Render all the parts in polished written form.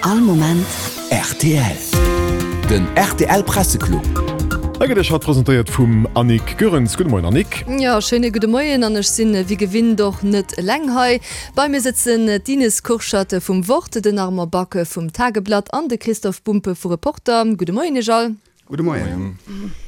All Moment rtl. Den rtl Presseclub. Hei gëtt Iech haut presentéiert vum Annick Goerens. Gudde Moien Annick. Jo, schéine gudde Moien an ech sinn wéi gewinnt och net eleng hei. Bei mir sëtzen d'Ines Kurschat vum Wort, den Armand Back vum Tageblatt an de Christoph Bumpe vu Reporter. Gudde Moien Iech all. Gudde Moien.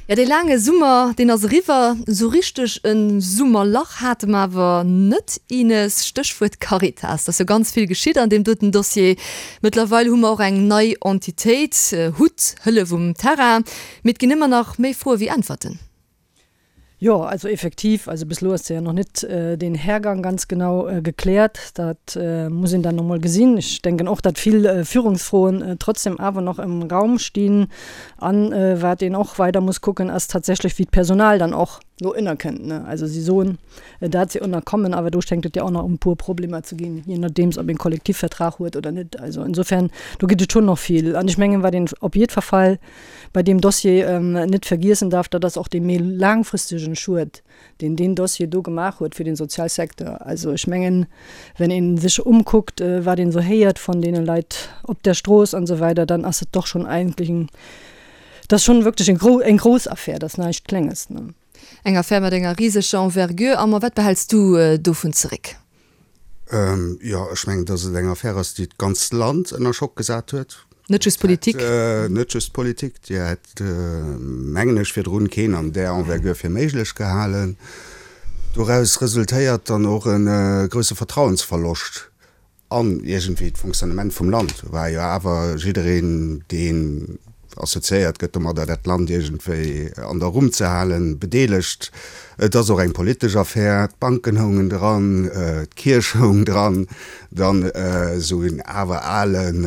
Jo, dee laange Summer, deen ass eriwwer. Esou richteg e Summerlach hate mer awer net, Ines. Stéchwuert Caritas, et ass jo ganz vill geschitt an deem doten Dossier. Mëttlerweil hu mer och eng nei Entitéit, hut, Hëllef um Terrain. Mee et ginn ëmmer nach méi Froe wéi Äntwerten. Jo, also effektiv, also bis elo ass jo nach net deen Hergang ganz genau gekläert. Dat muss een dann emol gesinn. Ech denken och, datt vill Führungsfroen trotzdem awer nach im Raum stinn. An wat een och weider muss kucken, ass tatsächlech, wéi d'Personal dann och do ënnerkënnt, ne. Also si soen, dat se ënnerkommen, awer do schéngt et jo och nach e puer Problemer ze ginn, je nodeems ob een Kollektivvertrag huet oder net. Also insofern, do gëtt et schonn nach vill. An ech mengen, wat een op jiddwer Fall bei deem Dossier net vergiessen darf, dat ass och dee méi laangfristegen Schued, deen deen Dossier do gemaach huet fir den Sozialsecteur. Also ech mengen, wenn ee sech umkuckt, wat een esou héiert von deene Leit op der Strooss an esou weider, dann ass et doch schon eigentlech eng, dat ass schon wierklech eng gro, eng grouss Affär, dat ass näischt Klenges, ne. Eng Affär mat enger riseger Envergure. Armand, wat behäls du dovun zeréck? Jo, ech mengen, datt et eng Affär ass, déi d'ganzt Land ënner Schock gesat huet. Net just d'Politik. Net just d'Politik. Déi hätt, mengen ech, virdrun keen an där Envergure fir méiglech gehalen. Doraus resultéiert dann och e grousse Vertrauensverloscht an iergendwéi d'Fonctionnement vum Land. War jo awer jiddereen, deen assoziéiert gëtt domadder, dat Land iergendwéi an der Rumm ze halen, bedeelegt. Et ass och eng politesch Affär. D'Banken houngen dran, d'Kierch houng dran, dann esou en awer alen,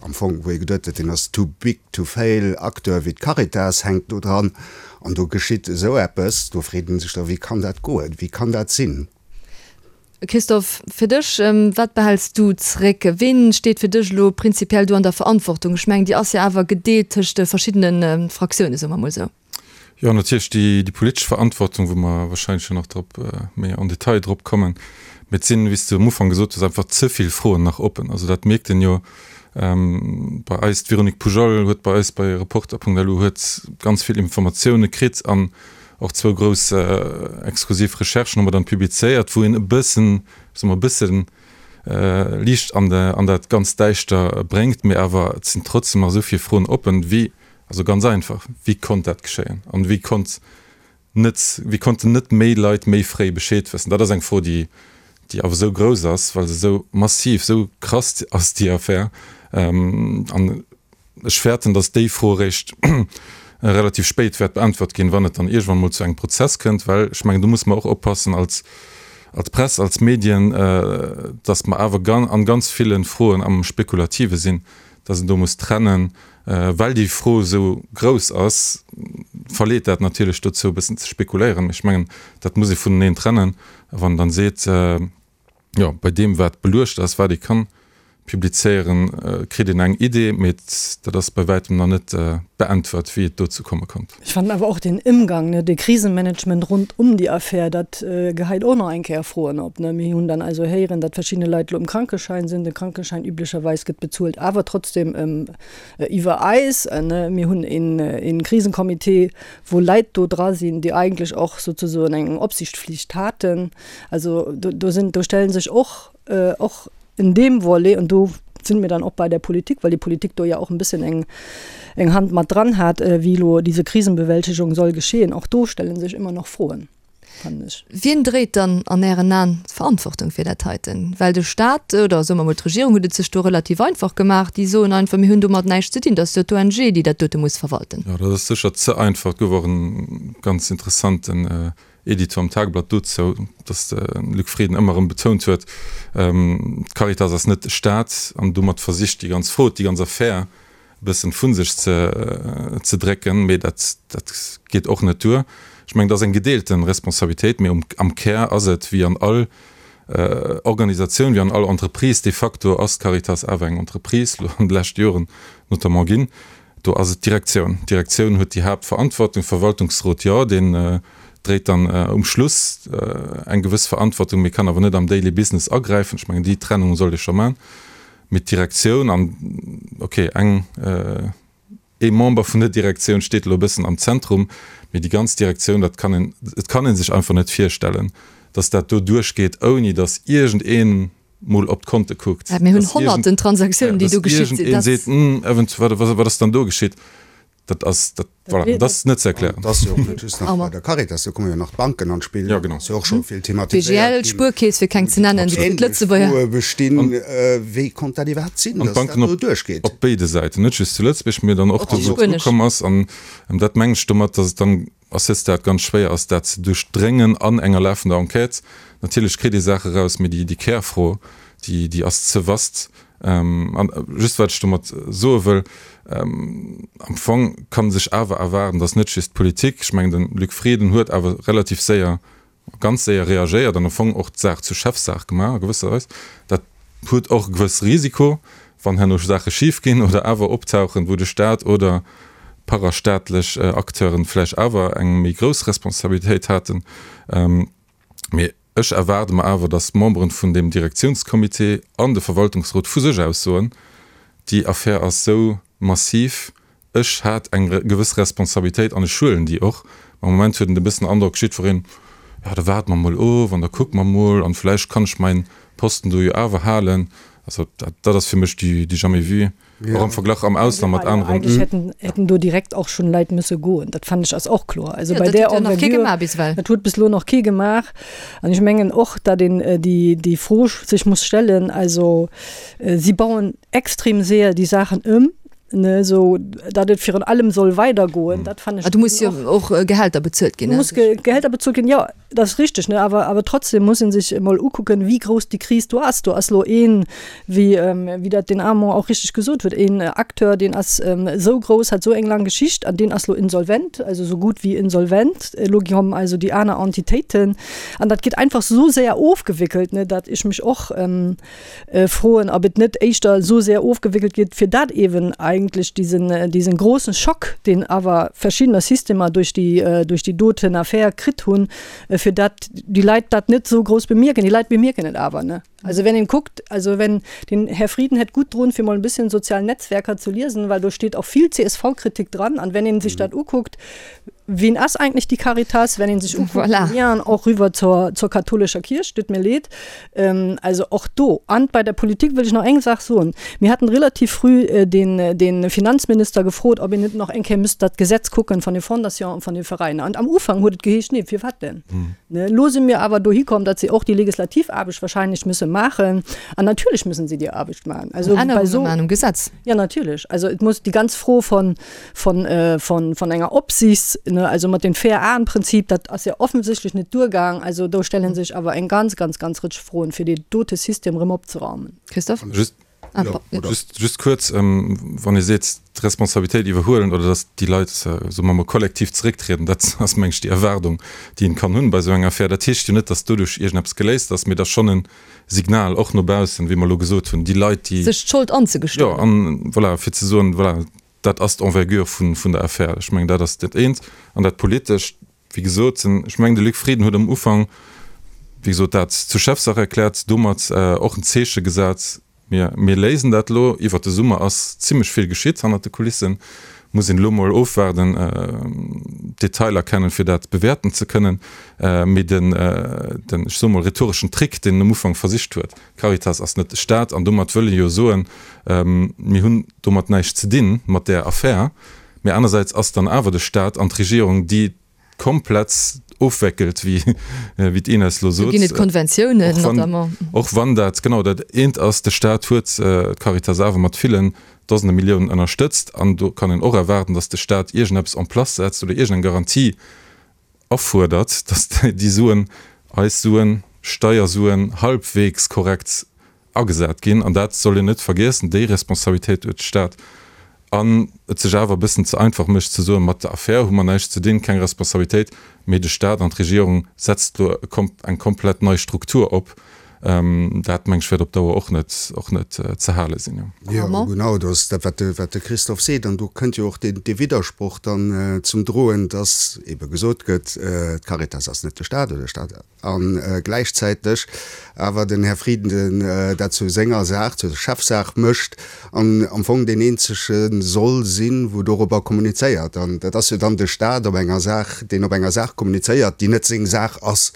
am Fong, wou ee geduet huet, deen ass too big to fail, Acteur wéi d'Caritas hänkt do dran. An do geschitt esou eppes, do freet ee sech da, wéi kann dat goen, wéi kann dat sinn? Christophe, fir dech, wat behäls du zréck? Ween steet fir dech elo prinzipiell do an der Verantwortung? Ech mengen, déi ass jo awer gedeelt tëscht de verschiddene Fraktiounen, soe mer emol esou. Jo, natierlech déi politesch Verantwortung, wou mer wahrscheinlech jo nach drop méi en détail drop kommen. Mee et sinn, wéi s de um Ufank gesot hues, einfach ze vill Froen nach oppen. Also dat mierkt een jo bei eis. D'Véronique Poujol huet bei eis bei Reporter.lu huet ganz vill Informatioune kritt an Och zwou grouss exklusiv Recherchen hu mer dann publizéiert, wou een e bëssen, soe mer e bëssen Liicht an an dat ganz Däischter bréngt. Mee awer et sinn trotzdem nach esou vill Froen oppen, wéi, also ganz einfach, wéi konnt dat geschéien an wéi konnt net, wéi konnten net méi Leit méi fréi Bescheed wëssen? Dat ass eng Fro, déi, déi awer esou grouss ass, well se esou massiv, esou krass ass, déi Affär. An Ech fäerten, datt déi Fro eréischt relativ spéit wäert beäntwert ginn, wann et dann iergendwann emol zu engem Prozess kënnt, well ech mengen, do musse mer och oppassen als als Press, als Medien, datt mer awer an ganz ville Froen am Spekulative sinn, datt een do muss trennen. Well déi Fro esou grouss ass, verleet dat natierlech dozou, e bëssen ze spekuléieren. Mee ech mengen, dat muss ee vuneneen trennen, wann een dann seet, Jo, bei deem wat beluecht ass, wat ee kann publizéieren, kritt een eng Idee, mee dat ass bei wäitem nach net beäntwert, wéi et dozou komme konnt. Ech fannen awer och den Ëmgang, ne, de Krisenmanagement rund um déi Affär, dat geheit och nach eng Kéier Froen op, ne. Mir hunn dann also héieren, datt verschidde Leit elo um Krankeschäin sinn. De Krankeschäin üblecherweis gëtt bezuelt, awer trotzdem iwwer eis, ne. Mir hunn een Krisencomité, wou Leit do dra sinn, déi eigentlech och souzesoen eng Opsichtflicht haten. Also do, do sinn, do stellen sech och, och in deem Volet, an do sinn mir dann och bei der Politik, well déi Politik do ja och en bëssen eng, eng Hand mat dran hat, wéi elo diese Krisenbewältigung soll geschehen, och do stellen sech ëmmer nach Froen, fannen ech. Wien dréit dann an Ären Aen d'Verantwortung fir dat heiten? Well de Staat, oder soe mer emol d'Regierung huet et sech do relativ einfach gemaach, déi soen einfach, mir hunn domat näischt ze dinn, dat ass jo d'ONG, déi dat dote muss verwalten. Jo, dat ass sécher ze einfach. Et gouf och e ganz interessanten Editor am Tageblatt dozou, datt de Luc Frieden ëmmer erëm betount huet, d'Caritas ass net de Staat an domat versicht déi ganz Fro, déi ganz Affär e bëssen vu sech ze drécken. Mee dat dat geet och net duer. Ech mengen, et ass eng gedeelte Responsabilitéit, mee am Kär ass et, wéi an all Organisatioun, wéi an all Entreprise, de facto ass d'Caritas awer eng Entreprise, elo an de leschte Joren notamment ginn, Do ass et d'Direktioun. D'Direktioun huet déi Haaptverantwortung. Verwaltungsrot, jo, deen dréit dann um Schluss eng gewëss Verantwortung, mee kann awer net am Daily Business agräifen. Ech mengen, déi Trennung sollt ee scho maachen. Mee d'Direktioun an, okay, eng, ee Member vun der Direktioun steet elo e bëssen am Zentrum, mee déi ganz Direktioun, dat kann een, et kann ee sech einfach net virstellen, datt dat do duerchgeet, ouni datt iergendeen mol op d'Konte kuckt, Mir hunn honnerten Transaktiounen, déi do geschitt sinn. Datt iergendeen seet, Hm, eventuell, wat, wat ass dann do geschitt? Dat ass, dat, voilà, dat ass net ze erklären. Dat ass jo och net just nach bei der Caritas, do komme jo nach d'Banken an d'Spill. Ja, genau. Ass jo och scho vill thematiséiert ginn. BGL, Spuerkeess, fir keng ze nennen, déi kritt d'Lëtzebuerger. Froe bestinn, wéi konnt dat iwwerhaapt sinn, dass dat do duerchgeet? An d'Banken op béide Säiten, net just zu Lëtzebuerg, mee dann och do, wou et ukomm ass. An dat mengen ech domat, dass et dann à ce stade ganz schwéier ass, dat ze duerchdréngen an enger lafender Enquête. Natierlech kritt ee Saache raus, mee déi Kärfro, déi ass ze vast. An just wat ech domat soe wëll, am Fong kann sech awer erwaarden, datt net just d'Politik, ech mengen de Luc Frieden huet awer relativ séier, ganz séier reagéiert an am Fong och d'Saach zur Chefsaach gemaach a gewësser Weis. Dat huet och e gewësse Risiko, wann herno Saache schif ginn oder awer optauchen, wou de Staat oder parastaatlech Acteuren vläicht awer eng méi grouss Responsabilitéit haten. Mee ech erwaarde mer awer, datt d'Memberen vun deem Direktiounscomité an de Verwaltungsrot vu sech aus soen, déi Affär ass esou massiv, ech hat eng gewëss Responsabilitéit an ech huelen déi och. Am Moment huet een e bëssen den Androck, jiddwereen, jo da waarde mer mol of an da kucke mer mol an vläicht kann ech mäin Posten do jo awer halen. Also dat, dat ass fir mech du jamais vu. Och am Verglach am Ausland mat aneren. Eigentlech hätten, hätten do direkt och schonn Leit musse goen. Dat fannen ech ass och kloer. Also bei där Envergure, dat huet bis elo nach kee gemaach. An ech mengen och, datt een déi, déi Fro sech muss stellen, also si bauen extrem séier déi Saachen ëm, ne, esou datt et virun allem soll weidergoen. Dat fannen ech. Do muss jo och Gehälter bezuelt ginn. Do muss Gehälter bezuelt ginn, jo. Dat ass richteg, ne? Awer, awer trotzdem muss ee sech emol ukucken, wéi grouss déi Kris do ass. Do ass elo een, wéi, wéi dat den Armand och richteg gesot huet, een Acteur, deen ass esou grouss, hat esou eng laang Geschicht an deen ass elo insolvent, also esou gutt wéi insolvent. Elo kommen also déi aner Entitéiten an dat gëtt einfach esou séier ofgewéckelt, ne, datt ech mech och, froen, ob et net éischter esou sehr ofgewéckelt gëtt, fir dat eeben eigentlech diesen, diesen großen Schock, deen awer verschiddener Systemer duerch déi, duerch déi doten Affär kritt hunn, fir dat déi Leit dat net esou grouss bemierken. Déi Leit bemierken et awer, ne? Also wenn een kuckt, also wenn, den Här Frieden hätt gutt drun, fir mol e bësschen sozial Netzwerker zu liesen, well do steet och vill CSV-Kritik dran. An wenn een sech dat ukuckt, Wien ass eigentlech déi Caritas, wenn een sech ukuckt, Voilà. Lien och rüwer zur, zur katholischer Kirch, tut mir leed. Ähm, also och do. An bei der Politik wëll ech nach eng Saach soen. Mir haten relativ früh äh, den, äh, den Finanzminister gefrot, ob een net nach eng Kéier müsst dat Gesetz kucken von den Fondations an von den Veräiner. An am Ufank huet et geheescht, nee, firwat denn? Ne, elo si mir awer dohi komm, datt si och déi legislativ Aarbecht wahrscheinlech müsse maachen. An natierlech müssen si déi Aarbecht maachen. Also bei Ännerunge so, maachen um Gesetz. Ja, natierlech. Also et muss déi ganz Fro von, von, von, von enger Opsichts, ne, also mat dem Fair-Aen-Prinzip, dat ass jo offensichtlech net duergaang. Also do stelle sech awer eng ganz, ganz, ganz Rëtsch Froen, fir dee dote System erëm opzeraumen. Christophe? Just, ah, just, just kuerz, wann ee seet, d'Responsabilitéit iwwerhuelen oder datt déi Leit, soe mer mol, kollektiv zerécktrieden, dat ass, meng ech, déi Erwaardung, déi een kann hunn bei esou enger Affär. Dat heescht jo net, datt doduerch iergendeppes geléist ass, mee et ass schonn e Signal och no baussen, wéi mer elo gesot hunn, déi Leit, déi. Sech d'Schold anzegestoen. Jo, an voilà, fir ze soen, voilà, Dat ass d'Envergure vun der Affär. Ech mengen, dat ass dat eent. An dat Politescht, wéi gesot, ech mengen, de Luc Frieden huet am Ufank, wéi gesot, dat zur Chefsaach erkläert, domat och en Zeeche gesat, Mir, mir léisen dat elo. Iwwert de Summer ass zimlech vill geschitt hannert de Kulissen. Muss een elo mol ofwaarden, d'Detailer kennen, fir dat bewäerten ze kënnen. Mee den, den, ech soe mol, rhetoreschen Trick, deen en am Ufank versicht huet, D'Caritas ass net de Staat an domat wëll e jo soen, mir hunn domat näischt ze dinn, mat där Affär. Mee anersäits ass dann awer de Staat an d'Regierung, déi komplett ofwéckelt, wéi d'Ines elo sot. Do ginn et Konventiounen notamment. Och wann dat genau dat eent ass, de Staat huet d'Caritas awer mat villen Dosende Milliounen ënnerstëtzt an do kann een och erwaarden, datt de Staat iergendeppes en place setzt oder iergendeng Garantie afuerdert, datt déi Suen, eis Suen, Steiersuen, halbwegs korrekt agesat ginn. An dat soll een net vergiessen, déi Responsabilitéit huet de Staat. An et sech awer e bëssen ze einfach mécht ze soen, mat der Affär hu mer näischt ze dinn, keng Responsabilitéit, mee de Staat an d'Regierung setzt elo eng komplett nei Struktur op. Dat, meng ech, wäert op Dauer och net, och net ze hale sinn, jo. Jo, genau, do ass dat, wat de, wat de Christophe seet. An do kënnt jo och dee, dee Widdersproch dann zum Droen, dass ebe gesot gëtt, d'Caritas ass net de Stat oder de Stat, a gläichzäiteg awer den Här Frieden dat zu senger Saach, zur Chefsaach mécht an am Fong deen eenzege soll sinn, wou dorobber kommunizéiert. An dat ass jo dann de Stat op enger Saach, deen op enger Saach kommunizéiert, déi net seng Saach ass.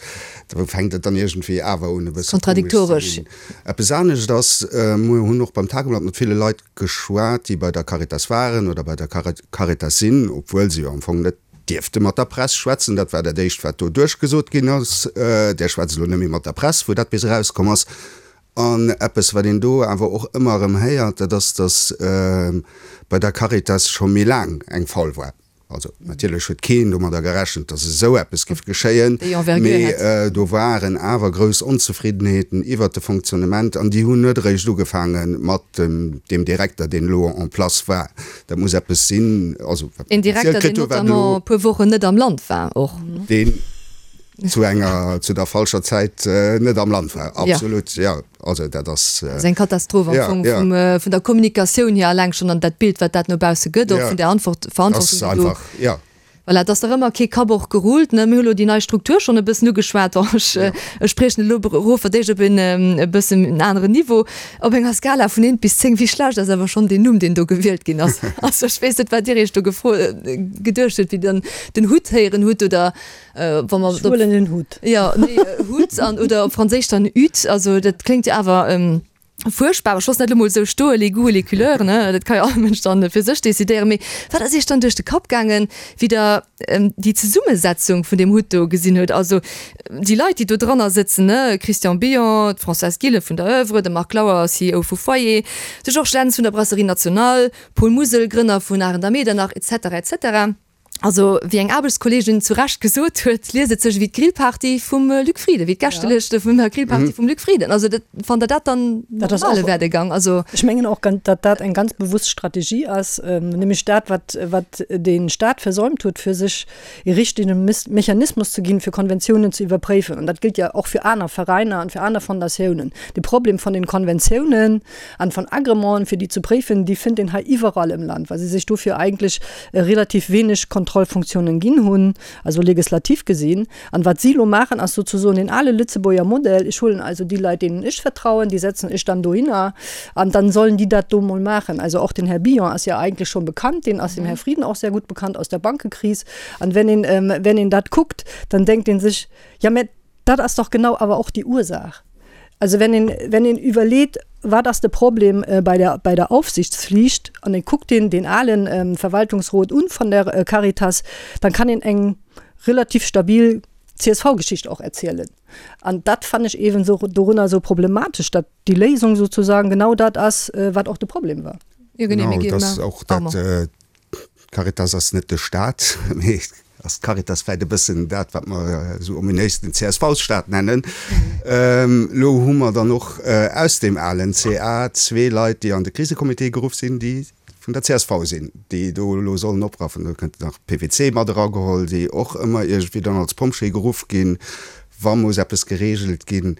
Do fänkt et dann iergendwéi awer un e bësse komesch ze ginn. Eppes anescht ass, Mir hunn och beim Tageblatt mat ville Leit geschwat, déi bei der Caritas waren oder bei der Caritas sinn, obwuel se jo am Fong net dierfte mat der Press schwätzen. Dat war dat Éischt, wat do duerchgesot ginn ass, Där schwätzt elo net méi mat der Press, wou dat bis erauskomm ass. An eppes, wat een do awer och ëmmer erëm héiert, dat ass, datt bei der Caritas scho méi laang eng Faul war. Also natierlech huet keen domadder gerechent, datt esou eppes géif geschéien, mee do waren awer grouss Onzefriddenheeten iwwert de Fonctionnement an déi hunn net eréischt ugefaange mat deem Direkter, deen elo en place war. Dat muss eppes sinn, also wat mer zielt kritt hunn, wat elo. Een Direkter, deen notamment e puer Wochen net am Land war och. Deen zu enger, zu der falscher Zäit net am Land war, absolut, jo. Also dat ass. Dat ass eng Katastroph am Fong vum, vun der Kommunikatioun hier alleng schonn an dat Bild, wat dat no bausse gëtt, och vun der Antwort, Verantwortung, déi do. Jo. Voilà, et ass nach ëmmer kee Kapp och gerullt, ne. Mir hu lo déi nei Struktur schonn e bëssen ugeschwat. Bon, ech, ech spriechen elo erof fir d'éischt op en e bëssen en aneren Niveau. Op enger Skala vun eent bis 10, wéi schlecht ass awer schonn deen Numm, deen do gewielt ginn ass? Also ech weess net, wat Dir Iech do gefro, geduecht hutt, wéi Dir den Hutt héieren hutt oder Wa mer Ech huelen den Hut. Jo, nee, Hut an oder op Franséisch dann Hüt. Also dat kléngt jo awer fuerchtbar. Ech loossen dat elo mol esou stoen, les goûts et les couleurs, ne, dat ka jo all Mënsch dann fir sech decidéieren. Mee wat ass Iech dann duerch de Kapp gaangen, wéi Der déi Zesummesetzung vun deem Hutt do gesinn hutt? Also déi Leit, déi do dranner sëtzen, ne, Christian Billon, d'Françoise Gillen vun der Oeuvre, de Marc Lauer, CEO vu Foyer, de Georges Lentz vun der Brasserie Nationale, Paul Musel, Grënner vun Arendt a Medernach, et cetera, et cetera. Also, wéi eng Aarbechtskolleegin zu Recht gesot huet, liest et sech ewéi d'Grillparty vum Luc Frieden, wéi d'Gäschtelëschte vun der Grillparty vum Luc Frieden. Also, dat, fannt Der dat dann normale Werdegang? Also. Ech mengen och, datt dat eng ganz bewusst Strategie ass, nämlech dat, wat, wat de Stat versäumt huet, fir sech e richtege Mechanismus ze ginn, fir Konventiounen ze iwwerpréifen. An dat gëllt jo och fir aner Veräiner an fir aner Fondatiounen. De Problem von den Konventiounen an von Agrémenten, fir déi ze préifen, déi fënnt een hei iwwerall im Land, well se sech dofir eigentlech relativ wenig Kontrollfunktionen ginn hunn, also legislativ gesinn. An wat si elo maachen, ass sozusoen deen ale Lëtzebuerger Modell, ech huelen also déi Leit, deenen ech vertrauen, déi setzen ech dann dohinner an dann sollen déi dat do mol maachen. Also och den Här Billon ass ja eigentlech schon bekannt, deen ass dem Här Frieden och sehr gut bekannt aus der Bankekris. An wenn een, wenn een dat kuckt, dann denkt ee sech, ja mä Dat ass doch genau awer och déi Ursaach. Also wenn een, wenn een iwwerleet, wat ass de Problem bei der, bei der Aufsichtspflicht, an ee kuckt deen, deen alen Verwaltungsrot un von der Caritas, dann kann een eng relativ stabil CSV-Geschicht och erzielen. An dat fannen ech eeben esou dorunner esou problematesch, datt déi Léisung sozusagen genau dat ass, wat och de Problem war. Jo, genee, mir ginn nach. Och dat, D'Caritas ass net de Staat, mee ass d'Caritas vläit e bëssen dat, wat mer esou ominéis den CSV-Staat nennen. Elo hu mer dann och aus deem alen CA zwee Leit, déi an de Krisecomité geruff sinn, déi vun der csv sinn, déi do elo sollen opraffen. Do kënnt nach PWC mat erageholl, déi och ëmmer iergendwéi dann als Pompjee geruff ginn, wa muss eppes geregelt ginn.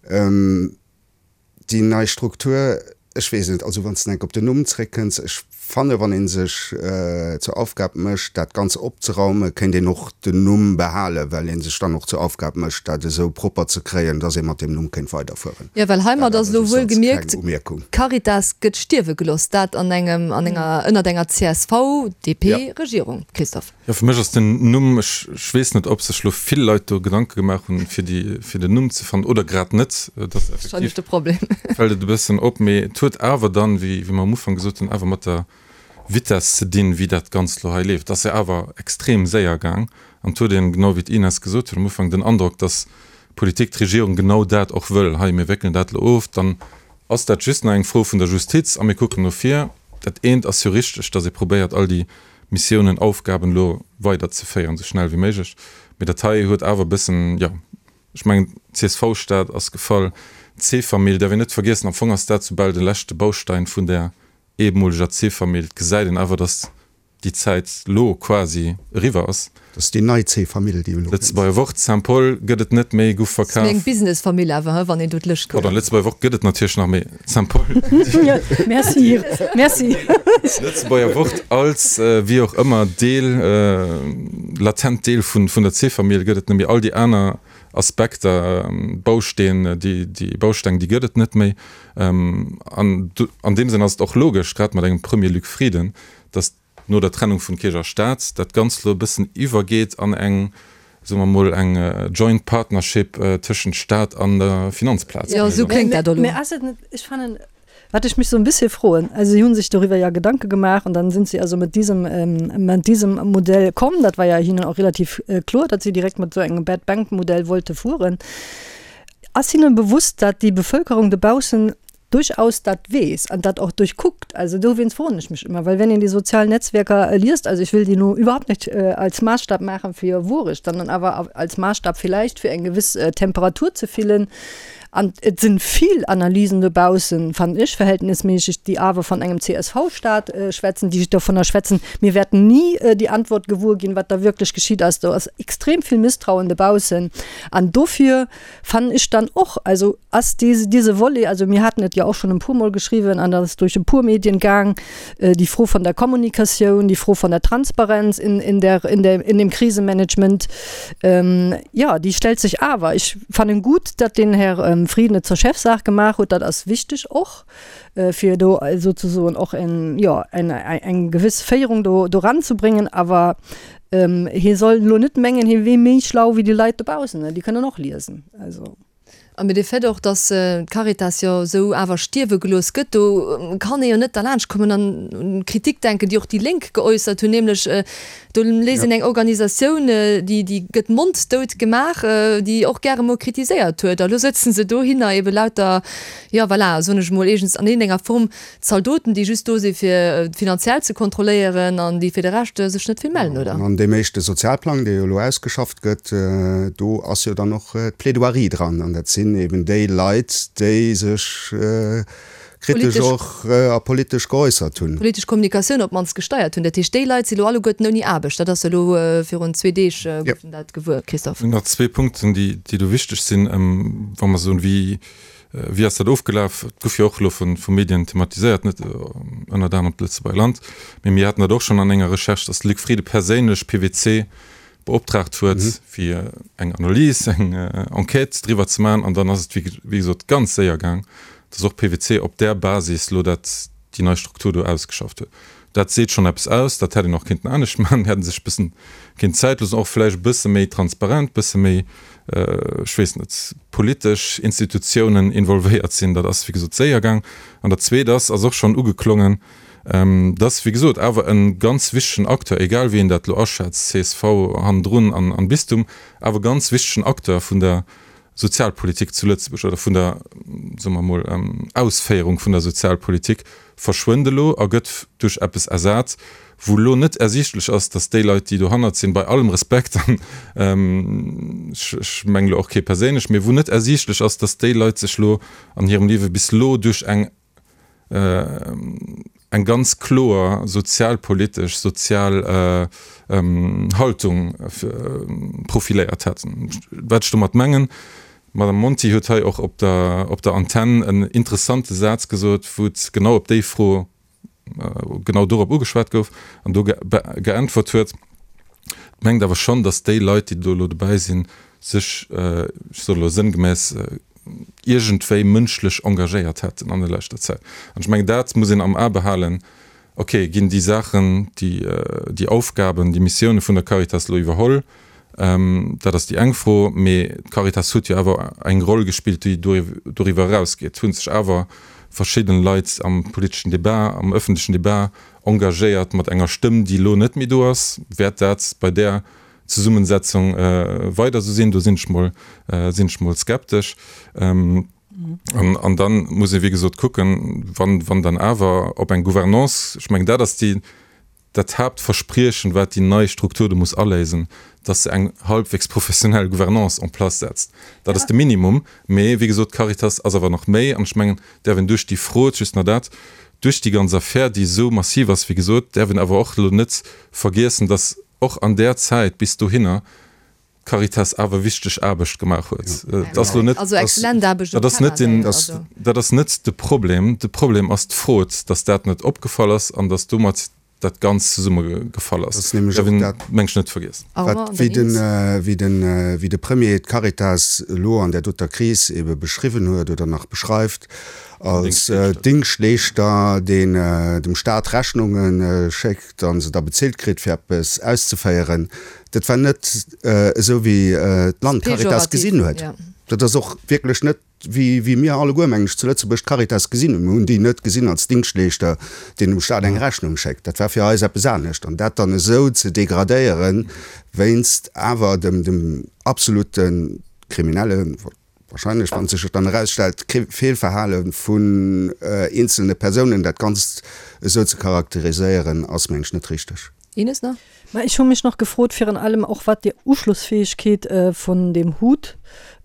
Déi nei Struktur, ech weess net, also wann s de enk op den Numm zréckkënns, ech fanne wann ee sech zur Aufgab mécht dat Ganz opzeraumen, kéint een och den Numm behalen, well ee sech dann och zur Aufgab mécht dat esou propper ze kréien, datt ee mat deem Numm kéint weiderfueren. Jo, well heimat ass elo wuel gemierkt, d'Caritas gëtt stierwe gelooss, dat an engem, an enger, ënnert enger CSV-DP-Regierung, Christophe. Jo, fir mech ass den Numm, ech weess net, ob sech lo vill Leit do Gedanke gemaach hunn, fir déi, fir den Numm ze fannen oder grad net. Et ass effektiv, de Problem. fält et e bëssen op, mee et huet awer dann, wéi, wéi mer am Ufank gesot hunn, awer mat der Vitesse ze dinn, wéi dat Ganzt lo hei leeft. Et ass jo awer extrem séier gaang an et huet een, genau wéi d'Ines gesot huet am Ufank, den Androck, dass d'Politik, d'Regierung genau dat och wëll, Hei, mir wéckelen dat lo of, dann ass dat just nach eng Fro vun der Justiz a mir kucken no vir. Dat eent ass jo richteg, dass ee probéiert, all déi Missiounen, Aufgaben elo weider ze féieren, esou schnell wéi méiglech. Mee dat hei huet awer e bëssen, jo, ech mengen, d'CSV-Stad ass gefall, d'C-Famill däerf een net vergiessen, am Fong ass dat soubal de leschte Baustein vun där ehemoleger C-Famill. Et gesäit een awer, datt déi Zäit lo quasi eriwwer ass. Dat ass déi nei C-Famill, déi elo kënnt. Lëtzebuerger Wort, Saint-Paul gëtt et net méi, guff verkaf. Ass méi eng Business-Famill awer, he, wann een do d'Lëscht kuckt. Pardon, Lëtzebuerger Wort gëtt et natierlech nach, mee Saint-Paul. Merci, merci. Lëtzebuerger Wort als, wéi och ëmmer, Deel, latent Deel vun der C-Famill gëtt et net méi. All déi aner Aspekter, Bausteen, déi, déi Bausteng, déi gëtt et net méi. An an deem Sënn ass et och logesch, grad mat engem Premier Luc Frieden, datt no der Trennung vun Kierch a Staat dat Ganzt elo e bëssen iwwergeet an eng, soe mer emol, eng joint partnership tëschent Staat an der Finanzplaz. Jo, esou kléngt dat elo. Mä ass et net, ech fannen, wat ech mech sou en bisschen froen, also si hu sech doriwwer ja Gedanke gemaach und dann sind sie also mit diesem, mit diesem Modell komm, dat war ja hinnen och relativ kloer, datt si direkt mat esou engem Bad Bank Modell wollte fueren. Ass hinnen bewusst, datt déi Bevölkerung dobaussen durchaus dat weess an dat och durchkuckt. Also dowéinst froen ech mech ëmmer, well wenn een déi sozial Netzwerker liest, also ich will déi nu überhaupt nicht als Maßstab maachen fir Wuerecht, sondern awer als Maßstab vielleicht fir eng gewiss Temperatur ze fillen. An et sinn vill Analysen dobaussen, fannen ech verhältnismäßig, déi awer von engem CSV-Staat schwätzen, déi dovunner schwätzen, mir wäerten ni déi Antwort gewuer ginn, wat da wirklich geschitt ass. Do ass extrem vill Misstrauen dobaussen an dofir fannen ech dann och, also ass diese, diese Volet, also mir haten et jo och schonn e puermol geschriwwen an dat ass duerch e puer Medien gaang, déi Fro von der Kommunikatioun, déi Fro von der Transparenz in, in der, in der, in dem Krisenmanagement, jo, déi stellt sech awer. Ech fannen gutt, datt den Här Frieden et zur Chefsaach gemaach huet, dat ass wichteg och, fir do souzesoen och en, jo, eng, eng gewëss Féierung do, do eranzebréngen, awer Hie soll elo net mengen, hie wier méi schlau wéi déi Leit dobaussen, déi kënnen och liesen. Also. A mee de Fait och, datt d'Caritas jo esou awer stierwe gelooss gëtt, do kann ee jo net derlaanscht kommen an un d'Kritik denken, déi och déi Lénk geäussert hunn, nämlech do léisst een eng Organisatioun, déi déi gëtt monddout gemaach, déi och gäre mol kritiséiert huet, a lo sëtzen se dohinner ebe lauter, jo voilà, soen ech emol, iergends an iergendenger Form Zaldoten, déi just do si fir finanziell ze kontrolléieren an déi fir de Rescht sech net vill mellen, oder? An an deem éischte Sozialplang, dee jo elo ausgeschafft gëtt, do ass jo dann och d'Plaidoirie dran. An dat sinn eben déi Leit, déi sech kritesch och a politesch geäussert hunn. Politesch Kommunikatioun op d'mannst gesteiert hunn. Dat heescht, déi Leit si lo alleguerten ouni Aarbecht. Dat ass jo elo virun zwee Deeg gouf dat gewuer, Christophe. Nach zwee Punkten, déi do wichteg sinn, wa mer soen, wéi Wéi ass dat ofgelaf? Et gouf jo och elo vu Medien thematiséiert, net ënnert anerem d'Lëtzebuerger Land, mee mir haten dat och schonn an enger Recherche, datt de Luc Frieden perséinlech PwC beoptraagt huet, fir eng Analys, eng Enquête driwwer ze maachen. An dann ass et, wéi gesot, ganz séier gaang, datt och PwC op där Basis elo dat, déi nei Struktur do ausgeschafft huet. Dat seet schonn eppes aus. Dat hätt een och kéinten anescht maachen, hätt sech e bëssen kéint Zäit loossen, och vläicht e bësse méi transparent, bësse méi, ech weess net, politesch Institutiounen involvéiert sinn. Dat ass, wéi gesot, séier gaang. An dat Zweet ass, ass och schonn ugeklongen, dass, wéi gesot, awer e ganz wichtegen Acteur, egal wéi een dat elo aschätzt, csv hannendrun an Bistum, awer e ganz wichtegen Acteur vun der Sozialpolitik zu Lëtzebuerg oder vun der, soe mer emol, Ausféierung vun der Sozialpolitik verschwënnt elo a gëtt duerch eppes ersat, wou elo net ersiichtlech ass, datt déi Leit, déi dohannert sinn, bei allem Respekt, an ech mengen elo och kee perséinlech, mee wou net ersiichtlech ass, datt déi Leit sech elo an hirem Liewe bis elo duerch eng eng ganz kloer sozialpolitesch, sozial Haltung profiléiert hätten. Wat ech domat mengen, d'Madame Monti huet hei och op der, op der Antenn en interessante Saz gesot, wou et genau op déi Fro, genau dorop ugeschwat gouf an do geäntwert huet, mengt awer schonn, datt déi Leit, déi do elo dobäi sinn, sech, ech soen elo sënngemäss, iergendwéi mënschlech engagéiert hätten an der leschter Zäit. An ech mengen, dat muss een am A behalen, Okay, ginn déi Saachen, déi, déi Aufgaben, déi Missioune vun der Caritas elo iwwerholl? Dat ass déi eng Fro. Mee d'Caritas huet jo awer eng Roll gespillt, déi doriwwer erausgeet. Et hu sech awer verschidden Leit am politeschen Debat, am ëffentlechen Debat engagéiert mat enger Stëmm, déi elo net méi do ass. Wäert dat bei där Zesummensetzung weider esou sinn? Do sinn ech mol, sinn ech mol skeptesch. An, an dann muss ee wéi gesot kucken, wann, wann dann awer op eng Gouvernance, ech mengen dat ass déi, dat Haaptverspriechen, wat déi nei Struktur do muss aléisen, dass se eng halbwegs professionell Gouvernance en place setzt. Dat ass de Minimum. Mee wéi gesot, d'Caritas ass awer nach méi. An ech mengen, däerf een duerch déi Fro, just nach dat. Duerch déi ganz Affär, déi esou massiv ass, wéi gesot, däerf een awer och elo net vergiessen, datt och an där Zäit bis dohinner d'Caritas awer wichteg Aarbecht gemaach huet. Et ass elo net, dat ass net den, dat ass net de Problem. De Problem ass d'Frod, datt dat net opgefall ass an datt domat dat Ganzt zesumme gefall ass. Dat ass nämlech och dat, meng ech, net vergiessen. Wat, wéi den, wéi den, wéi de Premier d'Caritas elo an där doter Kris ebe beschriwwen huet oder nach beschreift, als Dingschtleeschter, deen dem Staat Rechnunge schéckt a se da bezilt kritt, fir eppes auszeféieren, dat war net esou, wéi d'Land d'Caritas gesinn huet. Dat ass och wierklech net wéi mir alleguer, mengen ech, zu Lëtzebuerg d'Caritas gesinn hunn. Mir hunn déi net gesinn als Dingschtleeschter, deen dem Staat eng Rechnung schéckt. Dat war fir eis eppes anescht. An dat dann esou ze degradéieren, wéinst awer dem absolute kriminelle, wahrscheinlech, wann sech et dann erausstellt, Feelverhale vun eenzelne Persounen, dat Ganzt esou ze charakteriséieren, ass, mengen ech, net richteg. Ines nach? Mä ech hu mech nach gefrot, virun allem och wat déi Uschlossfäegkeet vun deem Hut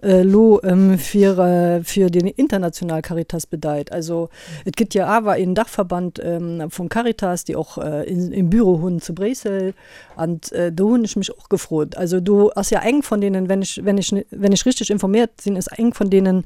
elo fir fir déi international Caritas bedeit. Also et gëtt jo awer een Dachverband vun Caritas, déi och een Büro hunn zu Bréissel. An do hunn ech mech och gefrot, also do ass jo eng vun deenen, wenn ech, wenn ech, wenn ech richteg informéiert sinn, ass eng vun deenen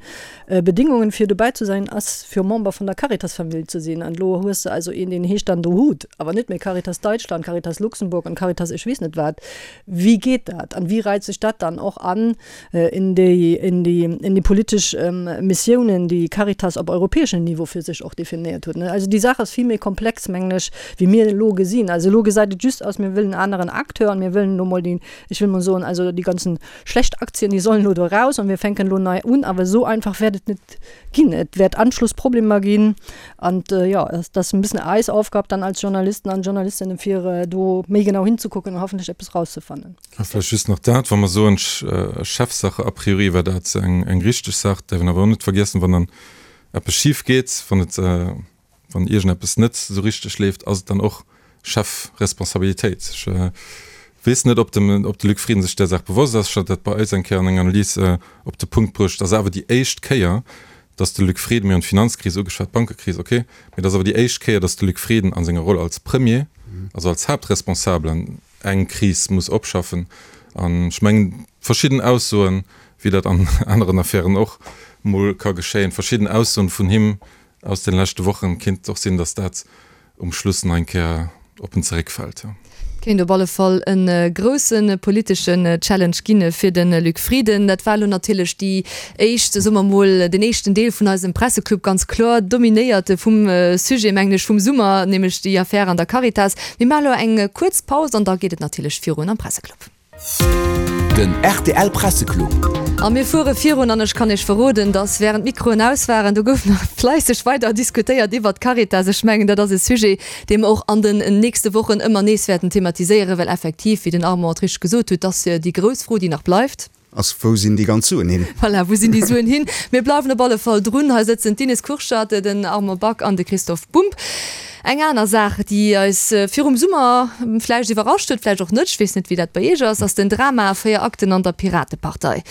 Bedingungen fir dobäi ze sein ass fir Member vun der Caritas-Famill ze sinn. An elo hues de also een deen heescht dann do Hut, awer net méi Caritas Deutschland, Caritas Luxemburg an Caritas ech weess net wat. Wéi geet dat an wéi reit sech dat dann och an in déi in déi in déi politesch Missiounen déi Caritas op europäeschem Niveau fir sech och definéiert huet? Also déi Saach ass vill méi komplex mengen ech wéi mir elo gesinn. Also elo gesäit et just aus, mir wëllen en aneren Acteur an mir wëllen elo mol déi, ech wëll mol soen, also déi ganzen Schlecht Aktien, déi sollen elo do eraus an mir fänken elo nei un. Awer esou einfach wäert et net ginn. Et wäert Anschlussproblemer ginn. An jo, dat ass e bëssen eis Aufgab dann als Journalisten an Journalistinnen, fir do méi genau hinzekucken an hoffentlech eppes rauszefannen. A vläicht just nach dat, wa mer soen, Chefsache, a priori war dat eng richteg Saach, däerf een awer och net vergiessen, wann dann eppes schif geet, wann et, Wann iergendeppes net esou richteg leeft, ass et dann och Chefresponsabilitéit. Ech weess net, ob de ob de Luc Frieden sech där Saach bewosst ass. Ech hat dat bei eis eng Kéier an enger Analys op de Punkt bruecht. Et ass awer déi éischt Kéier, datt de Luc Frieden, mir hunn d'Finanzkris ugeschwat, d'Bankekris, ok, mee et ass awer déi éischt Kéier, datt de Luc Frieden a senger Roll als Premier, also als Haaptresponsabelen, eng Kris muss opschaffen. An ech mengen, verschidden Aussoen, wéi dat an aneren Affären och mol ka geschéien, verschidden Aussoen vun him Aus den leschte Wochen kinnt et och sinn, dass dat um Schluss nach eng Kéier op en zeréckfält. Kéint op alle Fall e grousse politeschen Challenge ginn fir de Luc Frieden. Dat war elo natierlech déi éischt, soe mer mol, den éischten Deel vun eisem Presseclub, ganz kloer dominéiert vum Sujet, mengen ech, vum Summer, nämlech déi Affär an der Caritas. Mir maache elo eng kuerz Paus an da geet et natierlech virun am Presseclub. Den rtl Presseclub. A mir fuere virun an ech kann Iech verroden, dass während d'Mikroen aus waren, do gouf nach fleisseg weider diskutéiert iwwert d'Caritas. Ech mengen, dat ass e Sujet, dee mer och an den nächste Wochen ëmmer nees wäerten thematiséieren, well effektiv, wéi den Armand et richteg gesot huet, dass déi grouss Fro, déi nach bleift. Ass, Wou sinn déi ganz Suen hin? Voilà, wou sinn déi Suen hin? Mir bleiwen op alle Fall drun. Hei sëtzen d'Ines Kurschat, den Armand Back an de Christoph Bumb. Eng aner Saach, déi eis virum Summer vläicht iwwerrascht huet, vläicht och net, ech weess net, wéi dat bei Iech ass, ass den Drama a 4 Akten an der Piratepartei.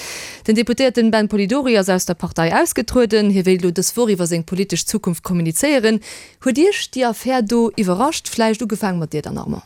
Den Deputéierten Ben Polidori ass aus der Partei ausgetrueden. Hie wéilt elo dës Woch iwwer seng politesch Zukunft kommunizéieren. Huet Iech déi Affär do iwwerrascht? Vläicht ugefaange mat dir dann, Armand.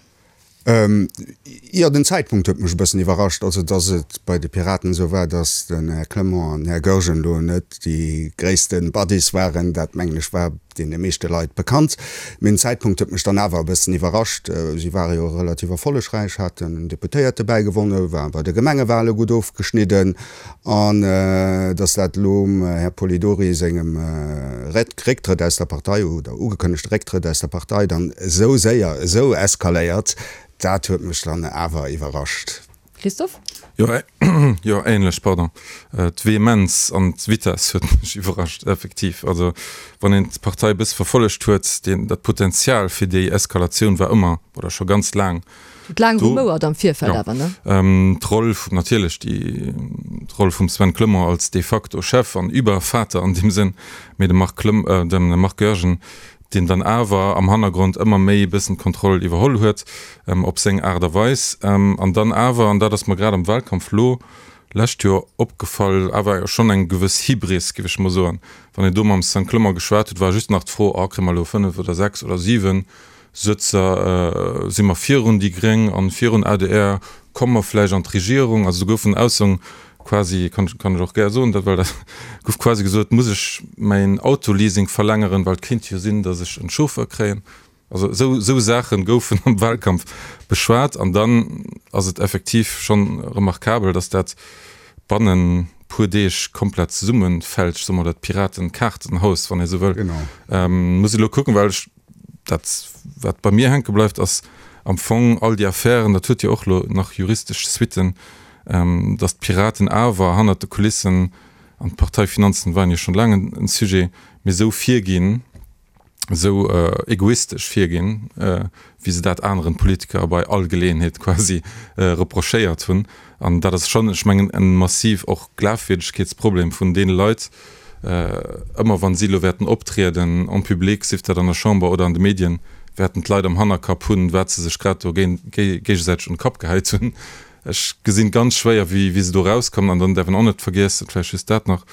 Jo, den Zäitpunkt huet mech e bëssen iwwerrascht. Also, datt et bei de Piraten esou war, datt den Här Clement an den Här Goergen elo net déi gréisste Buddies waren, dat mengen ech war deene meeschte Leit bekannt. Mee den Zäitpunkt huet mech dann awer e bëssen iwwerrascht. Si ware jo relativ erfollegräich, haten en Deputéierte bäigewonne, ware bei de Gemengewale gutt ofgeschnidden. An datt dat elo um Här Polidori sengem Récktrëtt aus der Partei oder ugekënnegte Récktrëtt aus der Partei dann esou séier esou eskaléiert, dat huet mech dann awer iwwerrascht. Christophe? Jo, jo, ähnlech, pardon. D'Vehemenz an d'Vitesse huet mech iwwerrascht, effektiv. Also wann een d'Partei e bësse verfollegt huet, deen, dat Potenzial fir déi Eskalatioun war ëmmer oder scho ganz laang Huet laang rumouert am Virfeld awer, ne? D'Roll vum, natierlech déi, d'Roll vum Sven Clement als de facto Chef an Übervater an deem Sënn, mee de Marc Clem, de Marc Goergen, deen dann awer am Hannergrond ëmmer méi e bëssen d'Kontroll iwwerholl huet, op seng Aart a Weis. An dann awer, an dat ass mer grad am Wahlkampf lo. lescht Joer opgefall, awer schonn eng gewëss Hybris, géif ech mol soen. Wann een do mam Sven Clement geschwat huet, war just nach d'Fro, ah, kréie mer elo 5 oder 6 oder 7 Sëtzer, si mer virun déi Gréng an virun adr, komme mer vläicht an d'Regierung? Also do goufen Aussoen quasi, kann kann ech och gär soen, dat well dat gouf quasi gesot, muss ech mäin Autoleasing verlängeren, well et kéint jo sinn, datt ech en Chauffeur kréien. Also esou esou Saache goufen am Wahlkampf beschwat an dann ass et effektiv schonn remarkabel, datt dat bannen puer Deeg komplett zesummefält, ech soe mol dat Piraten-Kaartenhaus, wann ee sou wëll. Muss ech elo kucken, well ech dat wat bei mir hänke bleift, ass am Fong all déi Affären, dat huet jo och elo nach juristesch Suitten, datt d'Piraten awer hannert de Kulissen, an d'Parteifinanzen waren jo schonn laang en Sujet, mee esou virginn, esou egoistesch virginn, wéi se dat aneren Politiker bei all Geleeënheet quasi reprochéiert hunn. An dat ass schonn, ech mengen, e massiv och Glafwierdegkeetsproblem vun deene Leit, ëmmer wa si elo wäerten optrieden en public, sief dat an der Chamber oder an de Medien, wäerten d'Leit am Hannerkapp hunn, wat se sech grad do géigesäiteg un de Kapp gehäit hunn. Ech gesinn ganz schwéier, wéi se do erauskommen. An dann däerf een och net vergiessen, vläicht just dat nach,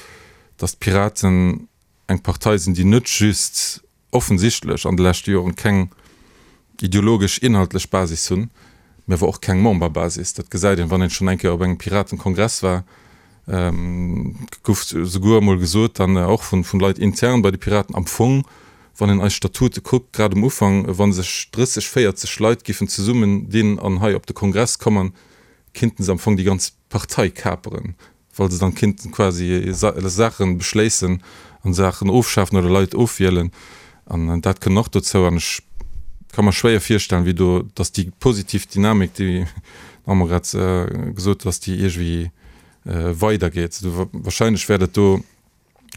datt d'Piraten eng Partei sinn, déi net just offensichtlech an de leschte Joren keng ideologesch, inhaltlech Basis hunn, mä awer och keng Memberbasis. Dat gesäit een, wann een schonn eng Kéier op engem Piratenkongress war, gouf souguer emol gesot, dann och vun Leit intern bei de Piraten, am Fong, wann een eis Statute kuckt, grad um Ufank, wa sech 30, 40 Leit giffen zesummen dinn an hei op de Kongress kommen, kinnten se am Fong déi ganz Partei kaperen. well se dann kinnten quasi Saachen beschléissen an Saachen ofschafen oder Leit ofwielen an dat kënnt och dozou an ech ka mer schwéier virstellen wéi do dass déi positiv Dynamik déi d'Maman grad gesot huet dass déi iergwéi weider geet. Wahrscheinlech wäert et do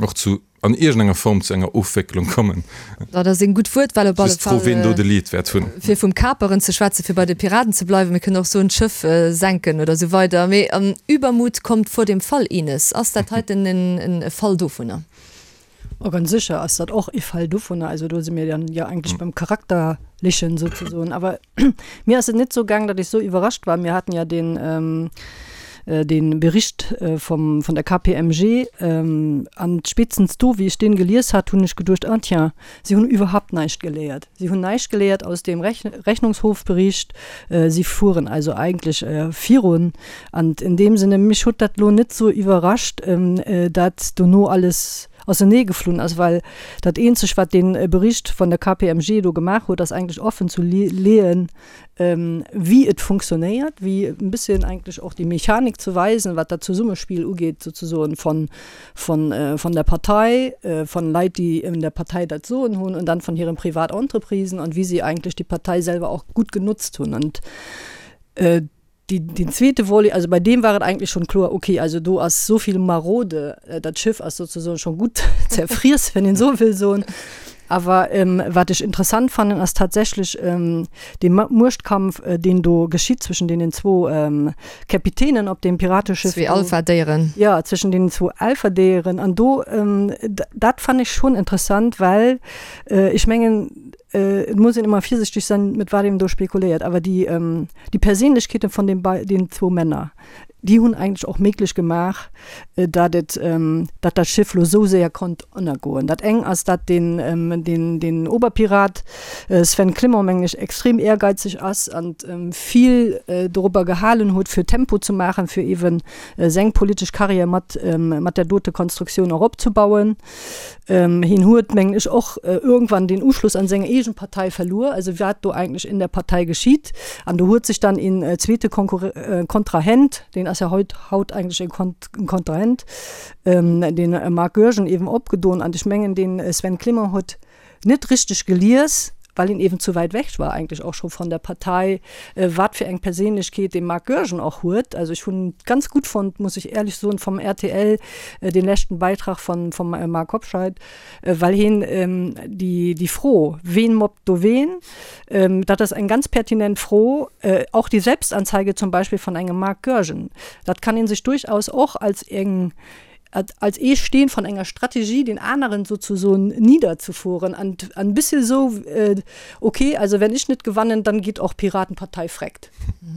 och zu an iergendenger Form zu enger Ofwécklung kommen. Dat ass eng gutt Wuertwahl op alle Just d'Fro, Fall. ween do de Lead wäert hunn. Fir vum Kaperen ze schwätzen, fir bei de Piraten ze bleiwen, mir kënnen och soen, d'Schëff senken oder esou weider. Mee Übermut kommt vor dem Fall, Ines. Ass dat heiten e Fall dovunner? Oh, ganz sécher ass dat och e Fall dovunner. Also do si mir dann jo eigentlech beim Charakterlechen souzesoen. Awer Mir ass et net sou gaang, datt ech sou iwwerrascht war. Mir haten ja deen, dee Bericht vum, vun der KPMG, an spéitstens do, wéi ech deen gelies hat, hunn ech geduecht, ah tiens, si hunn iwwerhaupt näischt geléiert. Si hunn näischt geléiert aus deem Rechnungshofbericht. Si fueren also eigentlech virun. An in deem Sinne, mech huet dat elo net sou iwwerrascht, dat dono alles ausenee geflunn ass, well dat eenzeg wat dee Bericht vun der KPMG do gemaach huet, ass eigentlech offen zu leeën, wéi et funktionéiert, wéi e bësschen eigentlech och déi Mechanik ze weisen, wat dat Zesummespill ugeet souzesoen von, von, von der Partei, von Leit, déi in der Partei dat Soen hunn und dann von hiren Privatentreprisen und wéi si eigentlech déi Partei selwer och gutt genotzt hunn. Und Déi, deen zweete Volet, also bei deem war et eigentlech schonn kloer, okay, also do ass esou vill marode, dat Schëff ass sozesoen scho gutt zerfriess, wann een esou wëll soen. Awer wat ech interessant fannen, ass tatsächlech dee Muechtkampf, deen do geschitt zwëschen deenen zwou Käpitänen op deem Pirateschëff. Zwee Alpha-Déieren. Jo, zwëschen deenen zwou Alpha-Déieren. An do, dat fannen ech schonn interessant, well ech mengen, Et muss een ëmmer virsichteg sein, mit wat een do spekuléiert, awer déi, déi Perséinlechkeeten von den bei den zwou Männer, déi hunn eigentlech och méiglech gemaach, dat et, dat dat Schiff lo esou séier konnt ënnergoen. Dat eng ass, dat deen, deen, deen Oberpirat Sven Clement, mengen ech, extrem ehrgeizeg ass an vill dorobber gehalen huet, fir Tempo ze maachen, fir eeben seng politesch Carrière mat, mat där dote Konstruktioun och opzebauen. Hien huet, mengen ech, och irgendwann den Uschluss an seng eegen Partei verluer, also wat do eigentlech in der Partei geschitt. An do huet sech dann een zweete Kontrahent, deen ass ja heut, haut eigentlech e Kontrahent, den Marc Goergen eben opgedoen. An ech mengen, den Sven Clement huet net richteg gelies, well hien eben zu wäit weg war eigentlech och scho von der Partei, wat fir eng Perséinlechkeet dee Marc Goergen och huet. Also ech hunn ganz gutt fonnt, muss ech éierlech soen, vom rtl dee leschten Beitrag von, vom Marc Hobscheit, well hien déi, déi Fro, ween mobbt do ween, dat ass eng ganz pertinent Fro, auch die Selbstanzeige zum Beispiel von engem Marc Goergen, dat kann ee sech durchaus och als eng. Als ee Steen von enger Strategie den aneren sozusoen niederzufuhren an an bisschen esou, okay, also wenn ich net gewannen, dann geht och Piratenpartei freckt.